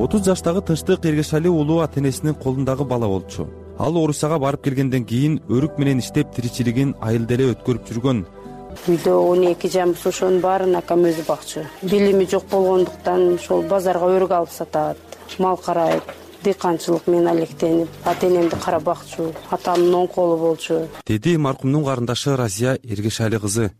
Отуз жаштагы Тынчтык Эргешали уулу ата-энесинин колундагы бала болчу. Ал Орусияга барып келгенден кийин өрүк менен иштеп тиричилигин айылда эле өткөрүп жүргөн. Үйдө 12 жамбыз ошонун баарын акам өзү бакчу. Билими жок болгондуктан ошол базарга өрүк алып сатат, мал карайт, дыйканчылык менен алектенип, ата-энемди карап бакчу, атамдын оң колу болчу. Деди маркумдун карындашы Разия Эргешали кызы.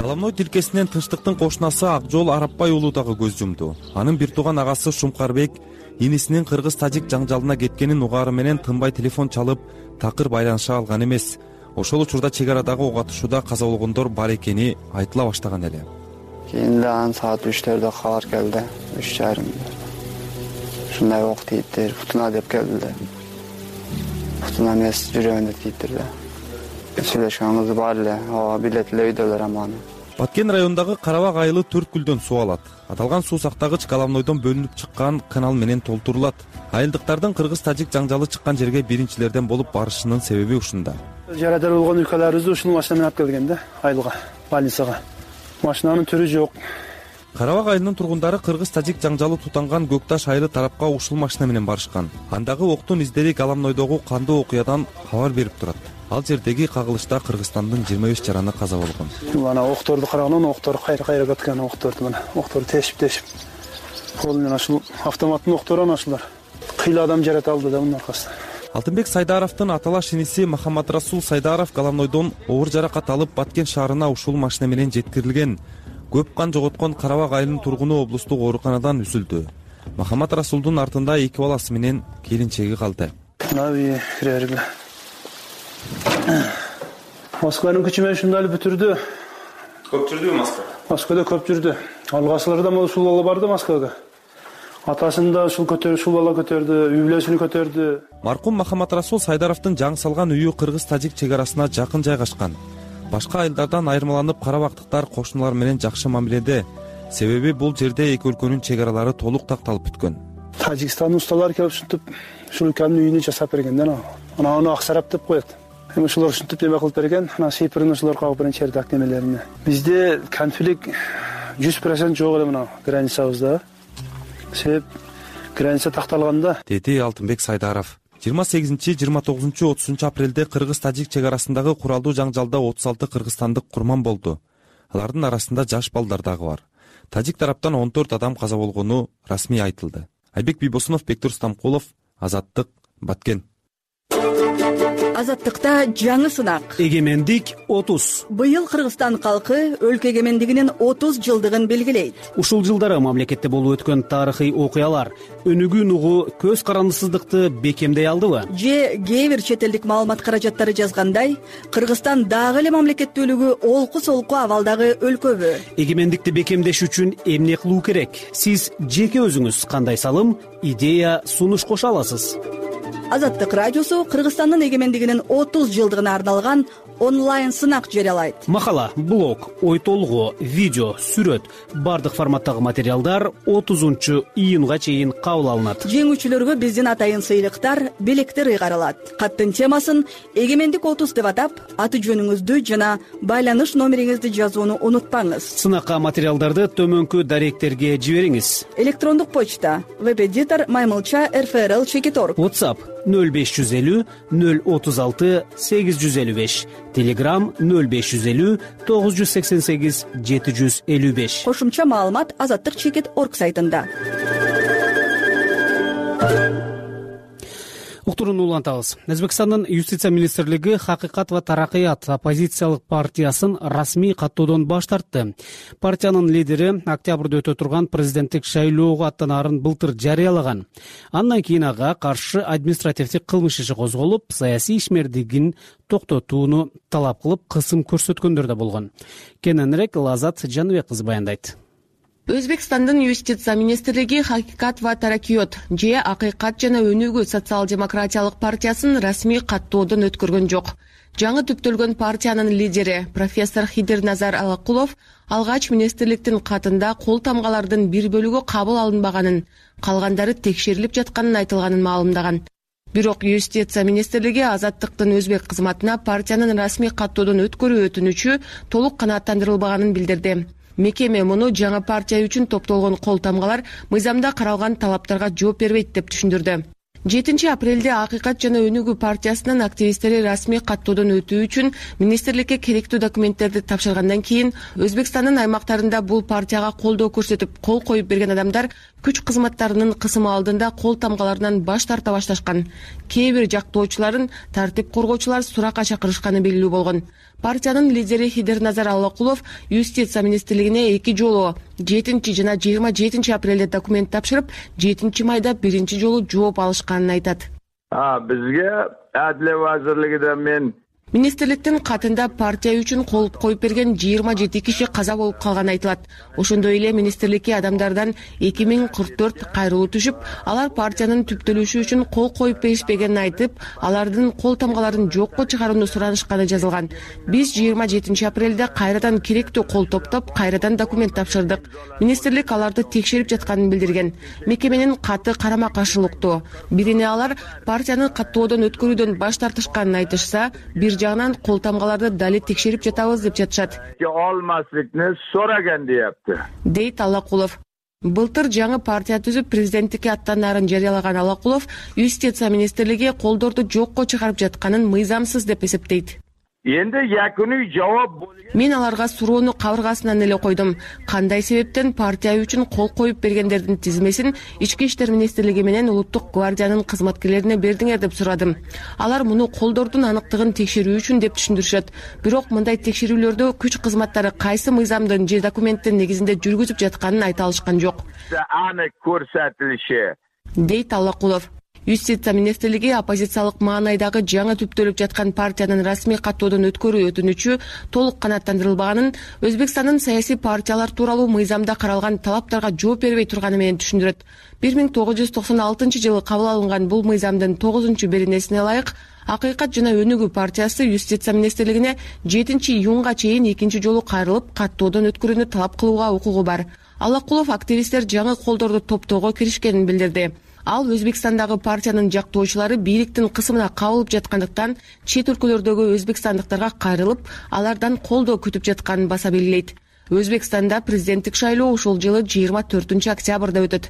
Головной тилкесинен Тынчтыктын кошунасы Акжол Арапбай уулу дагы көз жумду. Анын бир тууган агасы Шумкарбек инисинин кыргыз-тажик жаңжалына кеткенин угаары менен тынбай телефон чалып, такыр байланыша алган эмес. Ошол учурда чек арадагы ок атышууда каза болгондор бар экени айтыла баштаган эле. Кийин ан саат 3-төрдө кабар келди, 3:30. Ушундай ок тийиптир, бутуна деп келди. Бутуна эмес, жүрөгүнө тийиптир да. Сүйлөшкөнүбүз бар эле, ооба билет эле үйдөлөр аманы. Баткен районундагы Карабак айылы 4 гүлдөн суу алат. Аталган суу сактагыч головнойдон бөлүнүп чыккан канал менен толтурулат. Айылдыктардын кыргыз-тажик жаңжалы чыккан жерге биринчилерден болуп барышынын себеби ушунда. Жарадар болгон өлкөлөрүбүздү ушул машина менен алып келген да, айылга, больницага. машинанын түрү жок. Карабак айылынын тургундары кыргыз-тажик жаңжалы тутанган Көк Таш айылы тарапка ушул машина менен барышкан. Андагы октун издери Галамнойдогу кандуу окуядан кабар берип турат. Ал жердеги кагылышта Кыргызстандын 25 жараны каза болгон. Ана окторду караганда октор кайра кеткен, окторду мына октор тешип кол менен ушул автоматтын октору ушулар кыйла адам жарата алды да мунун аркасында. Алтынбек Сайдаровдун аталаш иниси Махаматрасул Сайдаров Галамнойдон оор жаракат алып Баткен шаарына ушул машина менен жеткирилген. Көп кан жоготкон Карабак айылынын тургуну облустук ооруканадан үзүлдү. Махаматрасулдун артында 2 баласы менен келинчеги калды. Нави кирерге. Москванын күчү менен ушундай эле бүтүрдү. Көп жүрдүбү Москва? Москвада көп жүрдү. Алгачыларда ушул бала барды Москвага. Атасын да ушул бала көтөрдү, үй бүлөсүн көтөрдү. Маркум Махаматрасул Сайдаровдун жаңы салган үйү кыргыз-тажик чек арасына жакын жайгашкан. Башка айылдардан айырмаланып карабактыктар кошуналар менен жакшы мамиледе. Себеби бул жерде эки өлкөнүн чек аралары толук такталып бүткөн. Тажикстандын усталары келип ушинтип ушул өлкөнүн үйүнү жасап берген да. Аны Аксарап деп коет. Эми ушулар ушинтип неме кылып берген. Сыйпырын ушулар кагып берген чердак немелерине. Бизде конфликт 100% жок эле мына границабызда. Себеп граница такталганда, деди Алтынбек Сайдаров. 28-29-30 апрелде кыргыз-тажик чек арасындагы куралдуу жаңжалда 36 кыргызстандык курман болду. Алардын арасында жаш балдар дагы бар. Тажик тараптан 14 адам каза болгону расмий айтылды. Айбек Бийбосунов, Бектур Стамкулов, Азаттык, Баткен. Азаттыкта жаңы сынак. Эгемендик 30. Быйыл Кыргызстан калкы өлкө эгемендигинин 30 жылдыгын белгилейт. Ушул жылдары мамлекетте болуп өткөн тарыхый окуялар өнүгүү угу көз карандысыздыкты бекемдей алдыбы? Же кээ бир чет элдик маалымат каражаттары жазгандай, Кыргызстан дагы эле мамлекеттүүлүгү олку-солку абалдагы өлкөбү? Эгемендикти бекемдеш үчүн эмне кылуу керек? Сиз жеке өзүңүз кандай салым, идея, сунуш кошо аласыз? Азаттык радиосу Кыргызстандын эгемендигинин 30 жылдыгына арналган онлайн сынак жарыялайт. Макала, блог, ой толгоо, видео, сүрөт, бардык форматтагы материалдар 30-июнга чейин кабыл алынат. Жеңүүчүлөргө биздин атайын сыйлыктар, белектер ыйгарылат. Каттын темасын эгемендик 30 деп атап, аты жөнүңүздү жана байланыш номериңизди жазууну унутпаңыз. Сынакка материалдарды төмөнкү даректерге жибериңиз. Электрондук почта webeditor@rfrl.org. WhatsApp 0550 036 855. Telegram 0550 988 755. Кошумча маалымат azattik.org сайтында. Уктурууну улантабыз. Өзбекстандын юстиция министрлиги Хакыйкат ва Таракыят оппозициялык партиясын расмий каттоодон баш тартты. Партиянын лидери октябрда өтө турган президенттик шайлоого аттанаарын былтыр жарыялаган. Андан кийин ага каршы административдик кылмыш иши козголуп, саясий ишмердигин токтотууну талап кылып, кысым көрсөткөндөр да болгон. Кененирээк Лазат Жаныбек кызы баяндайт. Өзбекстандын юстиция министрлиги Хакыйкат ва Таракыйот же Акыйкат жана өнүгүү социал-демократиялык партиясын расмий каттоодон өткөргөн жок. Жаңы түптөлгөн партиянын лидери профессор Хидирназар Алакулов алгач министрликтин катында кол тамгалардын бир бөлүгү кабыл алынбаганын, калгандары текшерилип жатканын айтылганын маалымдаган. Бирок юстиция министрлиги Азаттыктын өзбек кызматына партиянын расмий каттоодон өткөрүү өтүнүчү толук канааттандырылбаганын билдирди. Мекеме муну жаңы партия үчүн топтолгон кол тамгалар мыйзамда каралган талаптарга жооп бербейт деп түшүндүрдү. 7 апрелде Акыйкат жана өнүгүү партиясынын активисттери расмий каттоодон өтүү үчүн министрликке керектүү документтерди тапшыргандан кийин Өзбекстандын аймактарында бул партияга колдоо көрсөтүп кол коюп берген адамдар күч кызматтарынын кысымы алдында кол тамгаларынан баш тарта башташкан. Кээ бир жактоочуларын тартип коргоочулар суракка чакырышканы белгилүү болгон. Партиянын лидери Хидирназар Алакулов юстиция министрлигине 2 жолу 7 жана 27 апрелде документ тапшырып, 7 майда биринчи жолу жооп алышканын айтат. Бизге Адиле вазирлигинен мен Министрликтин катында партия үчүн кол коюп берген 27 киши каза болуп калганы айтылат. Ошондой эле министрликке адамдардан 2044 кайрылуу түшүп, алар партиянын түптөлүшү үчүн кол коюп беришпегенин айтып, алардын кол тамгаларын жокко чыгарууну суранышканы жазылган. Биз 27 апрелде кайрадан керектүү кол топтоп, кайрадан документ тапшырдык. Министрлик аларды текшерип жатканын билдирген. Мекеменин каты карама каршылыктуу. Бирине алар партиянын каттоодон өткөрүүдөн баш тартышканын айтышса, бир жагынан кол тамгаларды дали текшерип жатабыз деп жатышат. Olmaslikni so'ragan deyapti. Дейт Аллакулов. Былтыр жаңы партия түзүп президенттикке аттанаарын жарыялаган Аллакулов юстиция министрлиги колдорду жокко чыгарып жатканын мыйзамсыз деп эсептейт. Endi yakuniy javob Мен аларга суроону кабыргасынан эле койдум. Кандай себептен партия үчүн кол коюп бергендердин тизмесин Ички иштер министрлиги менен Улуттук гвардиянын кызматкерлерине бердиңер деп сурадым. Алар муну колдордун аныктыгын текшерүү үчүн деп түшүндүрүшөт. Бирок мындай текшерүүлөрдө күч кызматтары кайсы мыйзамдын же документтин негизинде жүргүзүп жатканын айта алышкан жок. Анык көрсөтүлүшү, дейт Аллакулов. Юстиция министрлиги оппозициялык маанайдагы жаңы түптөлүп жаткан партиянын расмий каттоодон өткөрүү өтүнүчү толук канааттандырылбаганын, Өзбекстандын саясий партиялар тууралуу мыйзамда каралган талаптарга жооп бербей турганы менен түшүндүрөт. 1996-жылы кабыл алынган бул мыйзамдын 9-беренесине ылайык Акыйкат жана Өнүгүү партиясы Юстиция министрлигине 7-июнга чейин экинчи жолу кайрылып каттоодон өткөрүүнү талап кылууга укугу бар. Аллакулов активисттер жаңы колдорду топтоого киришкенин билдирди. Ал Өзбекстандагы партиянын жактоочулары бийликтин кысымына кабылып жаткандыктан чет өлкөлөрдөгү өзбекстандыктарга кайрылып, алардан колдоо күтүп жатканын баса белгилейт. Өзбекстанда президенттик шайлоо ушул жылы 24-октябрда өтөт.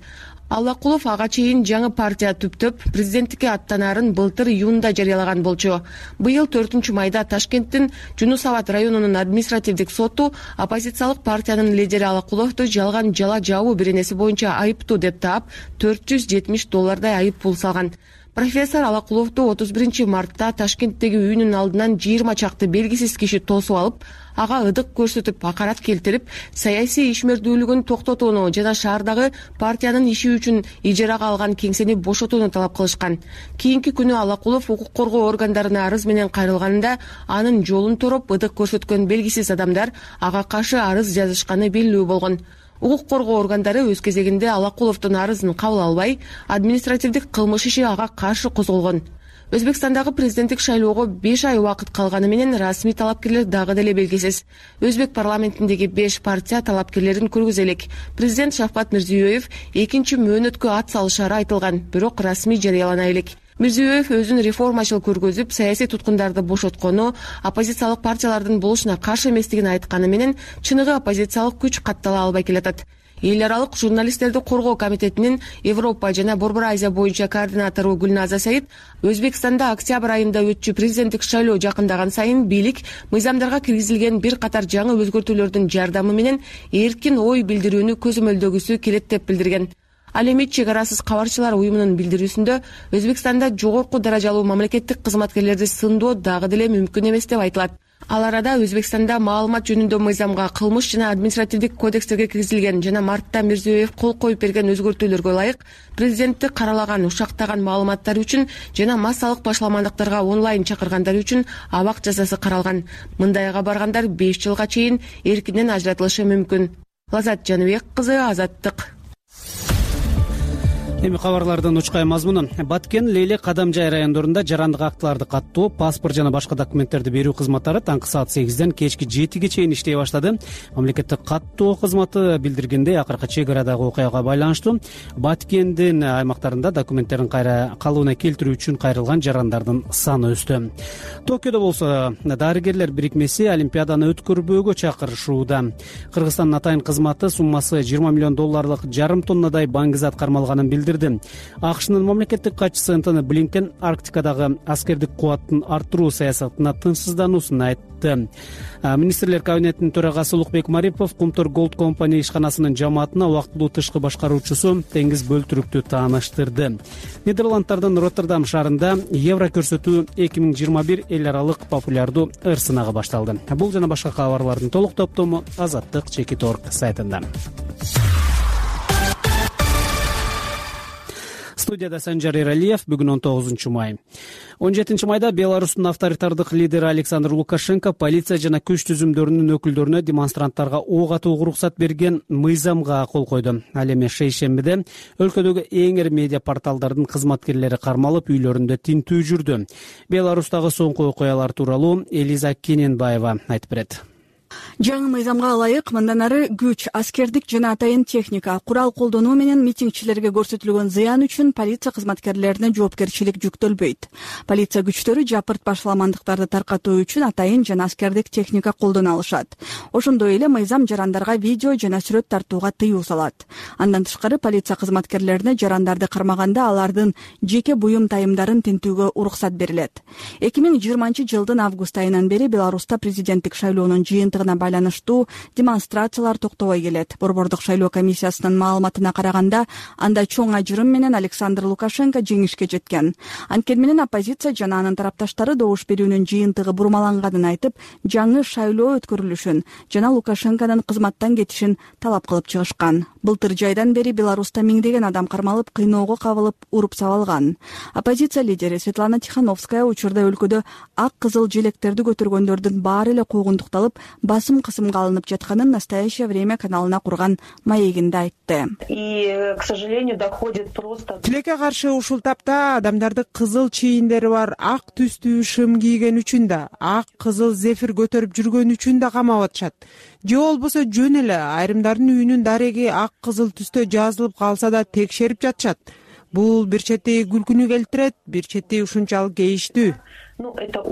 Аллакулов ага чейин жаңы партия түптөп, президенттикке аттанаарын былтыр июнда жарыялаган болчу. Быйыл 4-майда Ташкенттин Жунус Абад районунун административдик соту оппозициялык партиянын лидери Аллакуловду жалган жала жабуу беренеси боюнча айыптуу деп таап, $470 айып пул салган. Профессор Аллакуловду 31-мартта Ташкенттеги үйүнүн алдынан 20 чакты белгисиз киши тосуп алып, ага ыдык көрсөтүп, акарат келтирип, саясий ишмердүүлүгүн токтотууну жана шаардагы партиянын иши үчүн ижарага алган кеңсени бошотууну талап кылышкан. Кийинки күнү Аллакулов укук коргоо органдарына арыз менен кайрылганында анын жолун тороп, ыдык көрсөткөн белгисиз адамдар ага каршы арыз жазышканы белгилүү болгон. Укук коргоо органдары өз кезегинде Аллакуловдун арызын кабыл албай, административдик кылмыш иши ага каршы козголгон. Өзбекстандагы президенттик шайлоого 5 ай убакыт калганы менен расмий талапкерлер дагы деле белгисиз. Өзбек парламентиндеги 5 партия талапкерлерин көргүзө элек. Президент Шавкат Мирзиёев экинчи мөөнөткө ат салышары айтылган, бирок расмий жарыялана элек. Мирзиёев өзүн реформачыл көргөзүп, саясий туткундарды бошоткону, оппозициялык партиялардын болушуна каршы эместигин айтканы менен чыныгы оппозициялык күч каттала албай келатат. Эл аралык журналисттерди коргоо комитетинин Европа жана Борбор Азия боюнча координатору Гүлназа Саид Өзбекстанда октябрь айында өтчү президенттик шайлоо жакындаган сайын бийлик мыйзамдарга киргизилген бир катар жаңы өзгөртүүлөрдүн жардамы менен эркин ой билдирүүнү көзөмөлдөгүсү келет деп билдирген. Ал эми чек арасыз кабарчылар уюмунун билдирүүсүндө Өзбекстанда жогорку даражалуу мамлекеттик кызматкерлерди сындоо дагы деле мүмкүн эмес деп айтылат. Ал арада Өзбекстанда маалымат жөнүндө мыйзамга, кылмыш жана административдик кодекстерге киргизилген жана мартта Мирзиёев кол коюп берген өзгөртүүлөргө ылайык президентти каралаган, ушактаган маалыматтар үчүн жана массалык башаламандыктарга онлайн чакыргандар үчүн абак жазасы каралган. Мындайга баргандар 5 жылга чейин эркинен ажыратылышы мүмкүн. Лазат Жаныбек кызы, Азаттык. Эми кабарлардын учкай мазмуну. Баткен, Лейле, Кадамжай райондорунда жарандык актыларды каттоо, паспорт жана башка документтерди берүү кызматтары таңкы саат 8ден кечки 7ге чейин иштей баштады. Мамлекеттик каттоо кызматы билдиргендей, акыркы чек арадагы окуяга байланыштуу Баткендин аймактарында документтерин кайра калыбына келтирүү үчүн кайрылган жарандардын саны өстү. Токиодо болсо дарыгерлер бирикмеси Олимпиаданы өткөрбөөгө чакырышууда. Кыргызстандын атайын кызматы суммасы $20 миллион жарым тоннадай баңгизат кармалганын билдирди. АКШнын мамлекеттик катчысы Энтони Блинкен Арктикадагы аскердик кубаттын арттыруу саясатына тынчсыздануусун айтты. Министрлер кабинетинин төрагасы Улукбек Марипов Кумтор Голд компания ишканасынын жамаатына убактылуу тышкы башкаруучусу Теңиз Бөлтүрүктү тааныштырды. Нидерланддардын Роттердам шаарында евро көрсөтүү 2021 эл аралык популярдуу ыр-сынагы башталды. Бул жана башка кабарлардын толук топтому Азаттык чекит орг сайтында. Студияда Санжар Эралиев. Бүгүн 19-май. 17-майда Беларустун авторитардык лидери Александр Лукашенко полиция жана күч түзүмдөрүнүн өкүлдөрүнө демонстранттарга ок атууга уруксат берген мыйзамга кол койду. Ал эми шейшембиде өлкөдөгү эң ири медиа порталдардын кызматкерлери кармалып, үйлөрүндө тинтүү жүрдү. Беларустагы соңку окуялар тууралуу Элиза Кененбаева айтып берет. жаңы мыйзамга ылайык мындан ары күч, аскердик жана атайын техника, курал колдонуу менен митингчилерге көрсөтүлгөн зыян үчүн полиция кызматкерлерине жоопкерчилик жүктөлбөйт. Полиция күчтөрү жапырт башаламандыктарды таркатуу үчүн атайын жана аскердик техника колдоно алышат. Ошондой эле мыйзам жарандарга видео жана сүрөт тартууга тыюу салат. Андан тышкары полиция кызматкерлерине жарандарды кармаганда алардын жеке буюм тайымдарын тинтүүгө уруксат берилет. 2020-жылдын август айынан бери Беларуста президенттик шайлоонун жыйынтыгына байланыштуу демонстрациялар токтобой келет. Борбордук шайлоо комиссиясынын маалыматына караганда, анда чоң ажырым менен Александр Лукашенко жеңишке жеткен. Анткени менен оппозиция жана анын тарапташтары добуш берүүнүн жыйынтыгы бурмаланганын айтып, жаңы шайлоо өткөрүлүшүн жана Лукашенконун кызматтан кетишин талап кылып чыгышкан. Былтыр жайдан бери Беларуста миңдеген адам кармалып, кыйноого кабылып, уруп сабалган. Оппозиция лидери Светлана Тихановская учурда өлкөдө ак кызыл желектерди көтөргөндөрдүн баары эле куугунтукталып, басым кысымга алынып жатканын «Настоящее время» каналына курган маегинде айтты. И, к сожалению, доходит просто... Тилекке каршы ушул тапта адамдарды кызыл чийиндери бар ак түстүү шым кийген үчүн да, ак кызыл зефир көтөрүп жүргөн үчүн да камап атышат. Же болбосо жөн эле айрымдардын үйүнүн дареги ак кызыл түстө жазылып калса да текшерип жатышат. Бул бир чети күлкүнү келтирет, бир чети ушунчалык кейиштүү. Это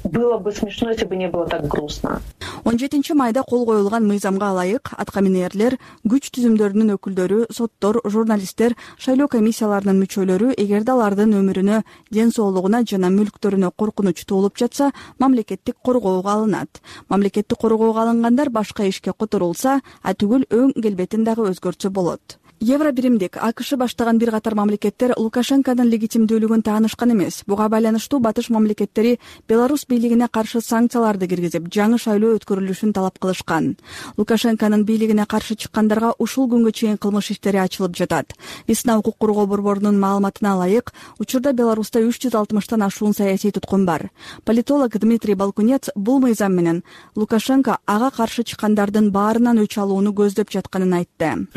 было бы смешно, если бы не было так грустно. 17 майда кол коюлган мыйзамга ылайык аткаминерлер, күч түзүмдөрүнүн өкүлдөрү, соттор, журналисттер, шайлоо комиссияларынын мүчөлөрү эгерде алардын өмүрүнө, ден соолугуна жана мүлктөрүнө коркунуч туулуп жатса, мамлекеттик коргоого алынат. Мамлекеттик коргоого алынгандар башка ишке которулса, түгүл өң келбетин дагы өзгөртсө болот. Евробиримдик АКШ баштаган бир катар мамлекеттер Лукашенконун легитимдүүлүгүн таанышкан эмес. Буга байланыштуу батыш мамлекеттери Беларусь бийлигине каршы санкцияларды киргизип, жаңы шайлоо өткөрүлүшүн талап кылышкан. Лукашенконун бийлигине каршы чыккандарга ушул күнгө чейин кылмыш иштери ачылып жатат. Весна укук коргоо борборунун маалыматына ылайык, учурда Беларуста 360тан ашуун саясий туткун бар. Политолог Дмитрий Балкунец бул мыйзам менен Лукашенко ага каршы чыккандардын баарынан өч алууну көздөп жатканын айтты.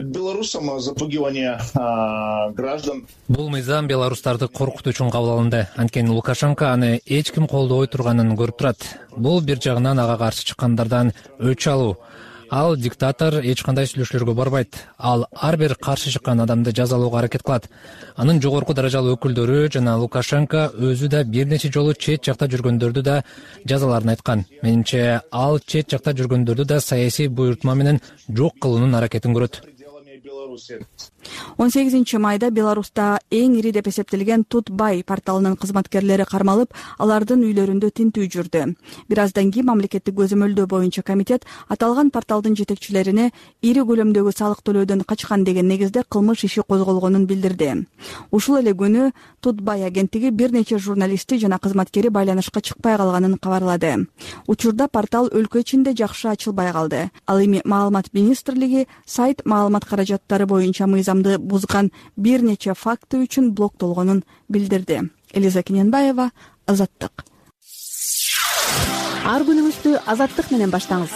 Запугивание граждан. Бул мыйзам беларустарды коркутуу үчүн кабыл алынды. Анткени Лукашенко аны эч ким колдобой турганын көрүп турат. Бул бир жагынан ага каршы чыккандардан өч алуу. Ал диктатор эч кандай сүйлөшүүлөргө барбайт. Ал ар бир каршы чыккан адамды жазалоого аракет кылат. Анын жогорку даражалуу өкүлдөрү жана Лукашенко өзү да бир нече жолу чет жакта жүргөндөрдү да жазаларын айткан. Менимче, ал чет жакта жүргөндөрдү да саясий буйртма менен жок кылуунун аракетин көрөт. 18 майда Беларуста эң ири деп эсептелген Тутбай порталынын кызматкерлери кармалып, алардын үйлөрүндө тинтүү жүрдү. Бир аздан кийин мамлекеттик көзөмөлдөө боюнча комитет аталган порталдын жетекчилерине ири көлөмдөгү салык төлөөдөн качкан деген негизде кылмыш иши козголгонун билдирди. Ушул эле күнү Тутбай агенттиги бир нече журналисти жана кызматкери байланышка чыкпай калганын кабарлады. Учурда портал өлкө ичинде жакшы ачылбай калды. Ал эми Маалымат министрлиги сайт маалымат каражаттары боюнча мыйзамды бузган бир нече факты үчүн блоктолгонун билдирди. Элиза Кененбаева, Азаттык. Ар күнүңүздү Азаттык менен баштаңыз.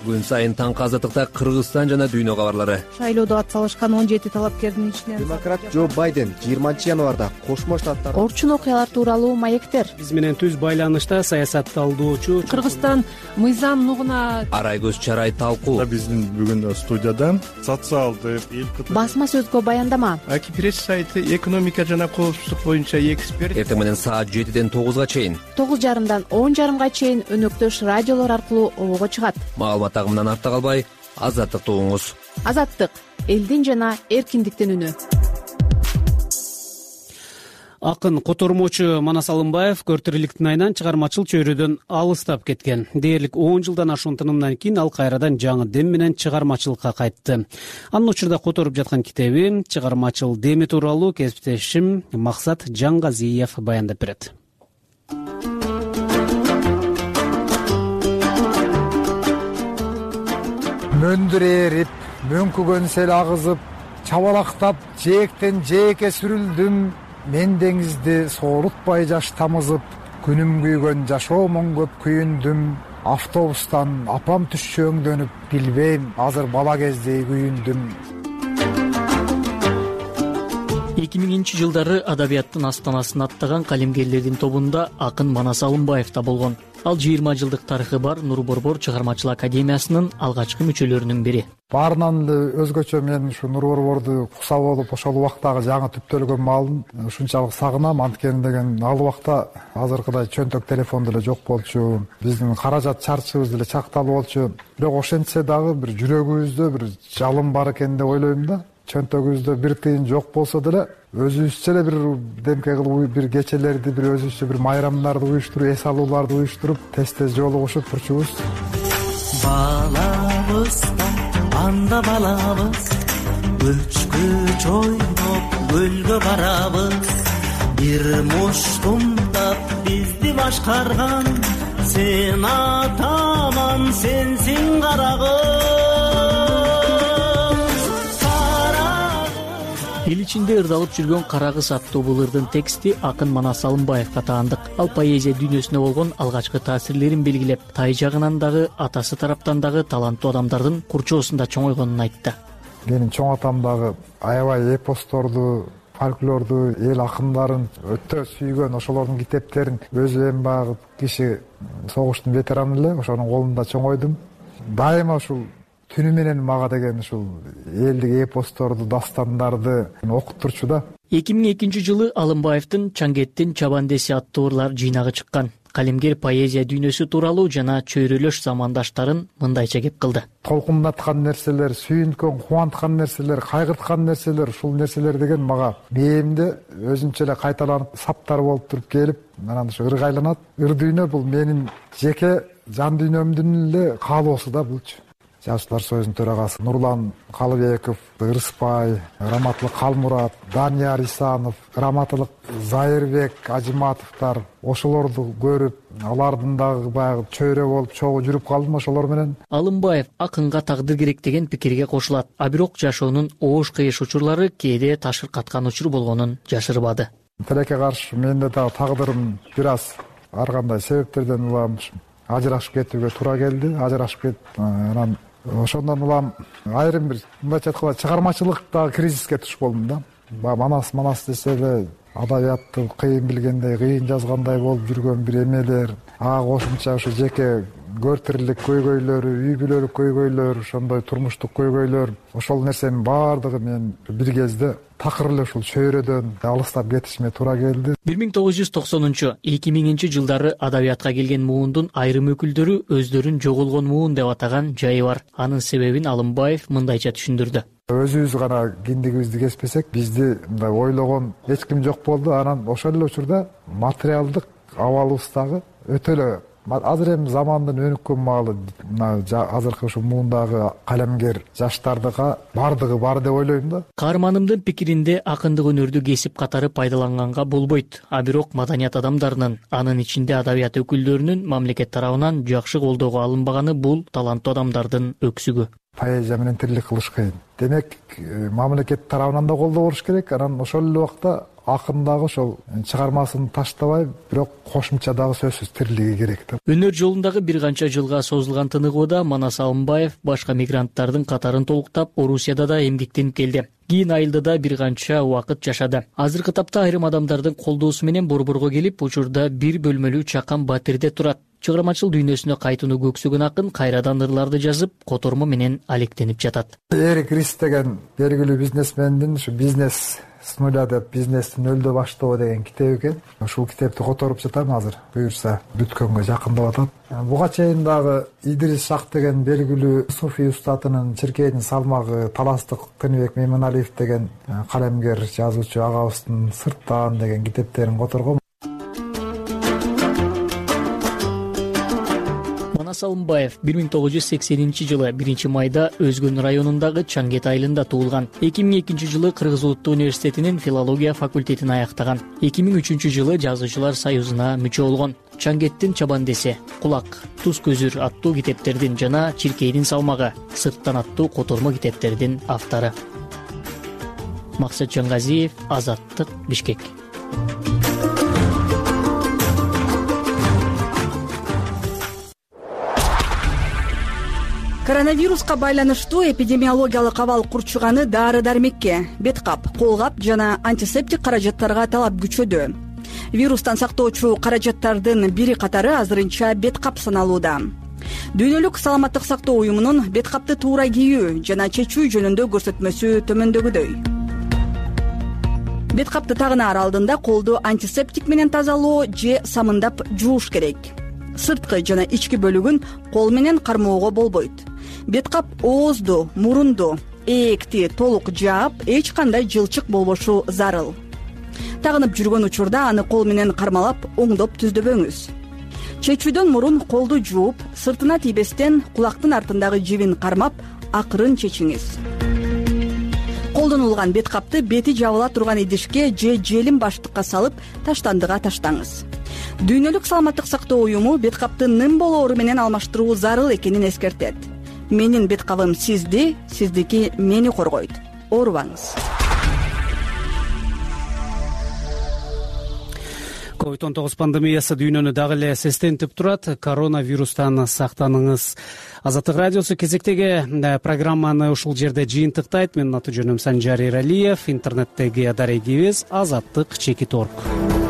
Күн сайын таңкы Азаттыкта Кыргызстан жана дүйнө кабарлары. Шайлоодо атсалышкан 17 талапкердин ичинен демократ Джо Байден 20-январда Кошмо Штаттар орчун окуялар тууралуу маектер. Биз менен түз байланышта саясатталдоочу Кыргызстан мыйзам нугуна Арай-көз чарай талкуу. Биздин бүгүн студияда социалдык басма сөзгө баяндама. Аки пресс сайты экономика жана коопсуздук боюнча эксперт. Эртең менен саат 7ден 9га чейин 9:30дан 10:30га чейин өнөктөш радиолор аркылуу обого чыгат. Маалымат агымынан артта калбай, Азаттыкты угуңуз. Азаттык — элдин жана эркиндиктин үнү. Акын котормочу Манас Алымбаев көртүрүлүктүн айынан чыгармачыл чөйрөдөн алыстап кеткен. Дээрлик 10 жылдан ашуун тынымдан кийин ал кайрадан жаңы дем менен чыгармачылыкка кайтты. Анын учурда которуп жаткан китеби чыгармачыл деми тууралуу кесиптешим Максат Жаңгазиев баяндап берет. Мөндүр эрип, мөңкүгөн сел агызып, чабалактап, жээктен жээкке сүрүлдүм. Мен деңизди соорутпай жаш тамызып, күнүм күйгөн жашоомон көп күйүндүм. Автобустан апам түшчү өңдөнүп, билбейм, азыр бала кездей күйүндүм. 2000-жылдары адабияттын астанасын аттаган калемгерлердин тобунда акын Манас Алымбаев да болгон. Ал 20 жылдык тарыхы бар Нур Борбор чыгармачылык академиясынын алгачкы мүчөлөрүнүн бири. Баарынан эле өзгөчө мен ушу Нур Борборду куса болуп ошол убактагы жаңы түптөлгөн маалын ушунчалык сагынам. Анткени деген ал убакта азыркыдай чөнтөк телефон деле жок болчу, биздин каражат чарчыбыз деле чакталып болчу. Бирок ошентсе дагы бир жүрөгүбүздө бир жалын бар экен деп ойлойм да. Чөнтөгүбүздө бир тыйын жок болсо деле өзүбүзчө эле бир демке кылып бир кечелерди, бир өзүбүзчө бир майрамдарды уюштуруп, эс алууларды уюштуруп, тез жолугушуп турчубуз. Балабыз анда балабыз, көчкүч ойноп көлгө барабыз. Бир муштумдап бизди башкарган, сен атаман сенсиң карагым. Эл ичинде ырдалып жүргөн Карагыз аттуу бул ырдын тексти акын Манас Алымбаевга таандык. Ал поэзия дүйнөсүнө болгон алгачкы таасирлерин белгилеп, тай жагынан дагы, атасы тараптан дагы таланттуу адамдардын курчоосунда чоңойгонун айтты. Менин чоң атам дагы аябай эпосторду, фольклорду, эл акындарын өтө сүйгөн, ошолордун китептерин өзү эми баягы киши согуштун ветераны эле, ошонун колунда чоңойдум. Дайыма ушул түнү менен мага деген ушул элдик эпосторду, дастандарды окуп турчу да. 2002 жылы Алымбаевдин Чаңгеттин Чабандеси аттуу ырлар жыйнагы чыккан. Калемгер поэзия дүйнөсү тууралуу жана чөйрөлөш замандаштарын мындайча кеп кылды. Толкундаткан нерселер, сүйүнткөн, кубанткан нерселер, кайгырткан нерселер, ушул нерселер деген мага мээримде өзүнчө эле кайталанып саптар болуп туруп келип, анан ушу ырга айланат. Ыр дүйнө бул менин жеке жан дүйнөмдүн эле каалоосу да булчу. Жазуучулар союзунун төрагасы Нурлан Калыбеков, Ырыспай, Раматылык Калмурат, Данияр Исанов, Раматылык Зайырбек Ажиматовдор, ошолорду көрүп, алардын дагы баягы чөйрө болуп чогуу жүрүп калдым ошолор менен. Алымбаев акынга тагдыр керек деген пикирге кошулат. А бирок жашоонун оош кыйыш учурлары кээде ташыркаткан учур болгонун жашырбады. Тилекке каршы менде дагы тагдырым бир аз ар кандай себептерден улам ажырашып кетүүгө туура келди. Ажырашып кетип, анан ошондон улам айрым бир мындайча айтканда чыгармачылыктагы кризиске туш болдум да. Манас десе эле адабиятты кыйын билгендей, кыйын жазгандай болуп жүргөн бир эмелер, ага кошумча ушу жеке көр тирлик көйгөйлөрү, үй бүлөлүк көйгөйлөр, ошондой турмуштук көйгөйлөр, ошол нерсенин баардыгы мен бир кезде такыр эле ушул чөйрөдөн алыстап кетишиме туура келди. 1990-2000 жылдары адабиятка келген муундун айрым өкүлдөрү өздөрүн жоголгон муун деп атаган жайы бар. Анын себебин Алымбаев мындайча түшүндүрдү. Өзүбүз гана киндигибизди кеспесек, бизди мындай ойлогон эч ким жок болду. Анан ошол эле учурда материалдык абалыбыз дагы өтө эле азыр эми замандын өнүккөн маалы азыркы ушу муундагы калемгер жаштардыга бардыгы бар деп ойлойм да. Каарманымдын пикиринде акындык өнөрдү кесип катары пайдаланганга болбойт. А бирок маданият адамдарынын, анын ичинде адабият өкүлдөрүнүн мамлекет тарабынан жакшы колдоого алынбаганы бул таланттуу адамдардын өксүгү. Поэзия менен тирлик кылыш кыйын. Демек, мамлекет тарабынан да колдоо болуш керек. Анан ошол эле убакта акын дагы ошол чыгармасын таштабай, бирок кошумча дагы сөзсүз тирлиги керек да. Өнөр жолундагы бир канча жылга созулган тыныгууда Манас Алымбаев башка мигранттардын катарын толуктап, Орусияда да эмгектенип келди. Кийин Айылдыда бир канча убакыт жашады. Азыркы тапта айрым адамдардын колдоосу менен Борборго келип, учурда бир бөлмөлүү чакан батирде турат. Чыгармачыл дүйнөсүнө кайтууну көксөгөн акын кайрадан ырларды жазып, котормо менен алектенип жатат. Эрик Рис деген белгилүү бизнесмендин ушу бизнес с нуля деп бизнести нөлдө баштоо деген китеби экен. Ушул китепти которуп жатам азыр. Буюрса бүткөнгө жакындап атат. Буга чейин дагы Идрис Шах деген белгилүү суфий устатынын Чиркейдин салмагы, Таластык Тыныбек Мейманалиев деген калемгер жазуучу агабыздын Сырттан деген китептерин которгом. Манас Алымбаев 1980 жылы 1 майда Өзгөн районундагы Чаңгет айылында туулган. 2002 жылы Кыргыз Улуттуу университетинин филология факультетин аяктаган. 2003 жылы Жазуучулар союзуна мүчө болгон. Чаңгеттин Чабандеси, Кулак, Туз көзүр аттуу китептердин жана Чиркейдин салмагы, Сырттан аттуу котормо китептердин автору. Максат Жангазиев, Азаттык, Бишкек. Коронавируска байланыштуу эпидемиологиялык абал курчуганы дары-дармекке, бет кап, кол кап жана антисептик каражаттарга талап күчөдү. вирустан сактоочу каражаттардын бири катары азырынча бет кап саналууда. Дүйнөлүк саламаттык сактоо уюмунун бет капты туура кийүү жана чечүү жөнүндө көрсөтмөсү төмөндөгүдөй. Бет капты тагынаар алдында колду антисептик менен тазалоо же самындап жууш керек. Сырткы жана ички бөлүгүн кол менен кармоого болбойт. Бет кап оозду, мурунду, ээкти толук жаап, эч кандай жылчык болбошу зарыл. Тагынып жүргөн учурда аны кол менен кармалап, оңдоп түздөбөңүз. Чечүүдөн мурун колду жууп, сыртына тийбестен кулактын артындагы жибин кармап, акырын чечиңиз. Колдонулган бет капты бети жабыла турган идишке же желим баштыкка салып, таштандыга таштаңыз. Дүйнөлүк саламаттык сактоо уюму бет капты ным болоору менен алмаштыруу зарыл экенин эскертет. Менин бет кабым сизди, сиздики мени коргойт. Оорубаңыз. COVID-19 пандемиясы дүйнөнү дагы эле сестентип турат. Коронавирустан сактаныңыз. Азаттык радиосу кезектеги программаны ушул жерде жыйынтыктайт. Менин аты жөнүм Санжар Эралиев. Интернеттеги дарегибиз Азаттык _org.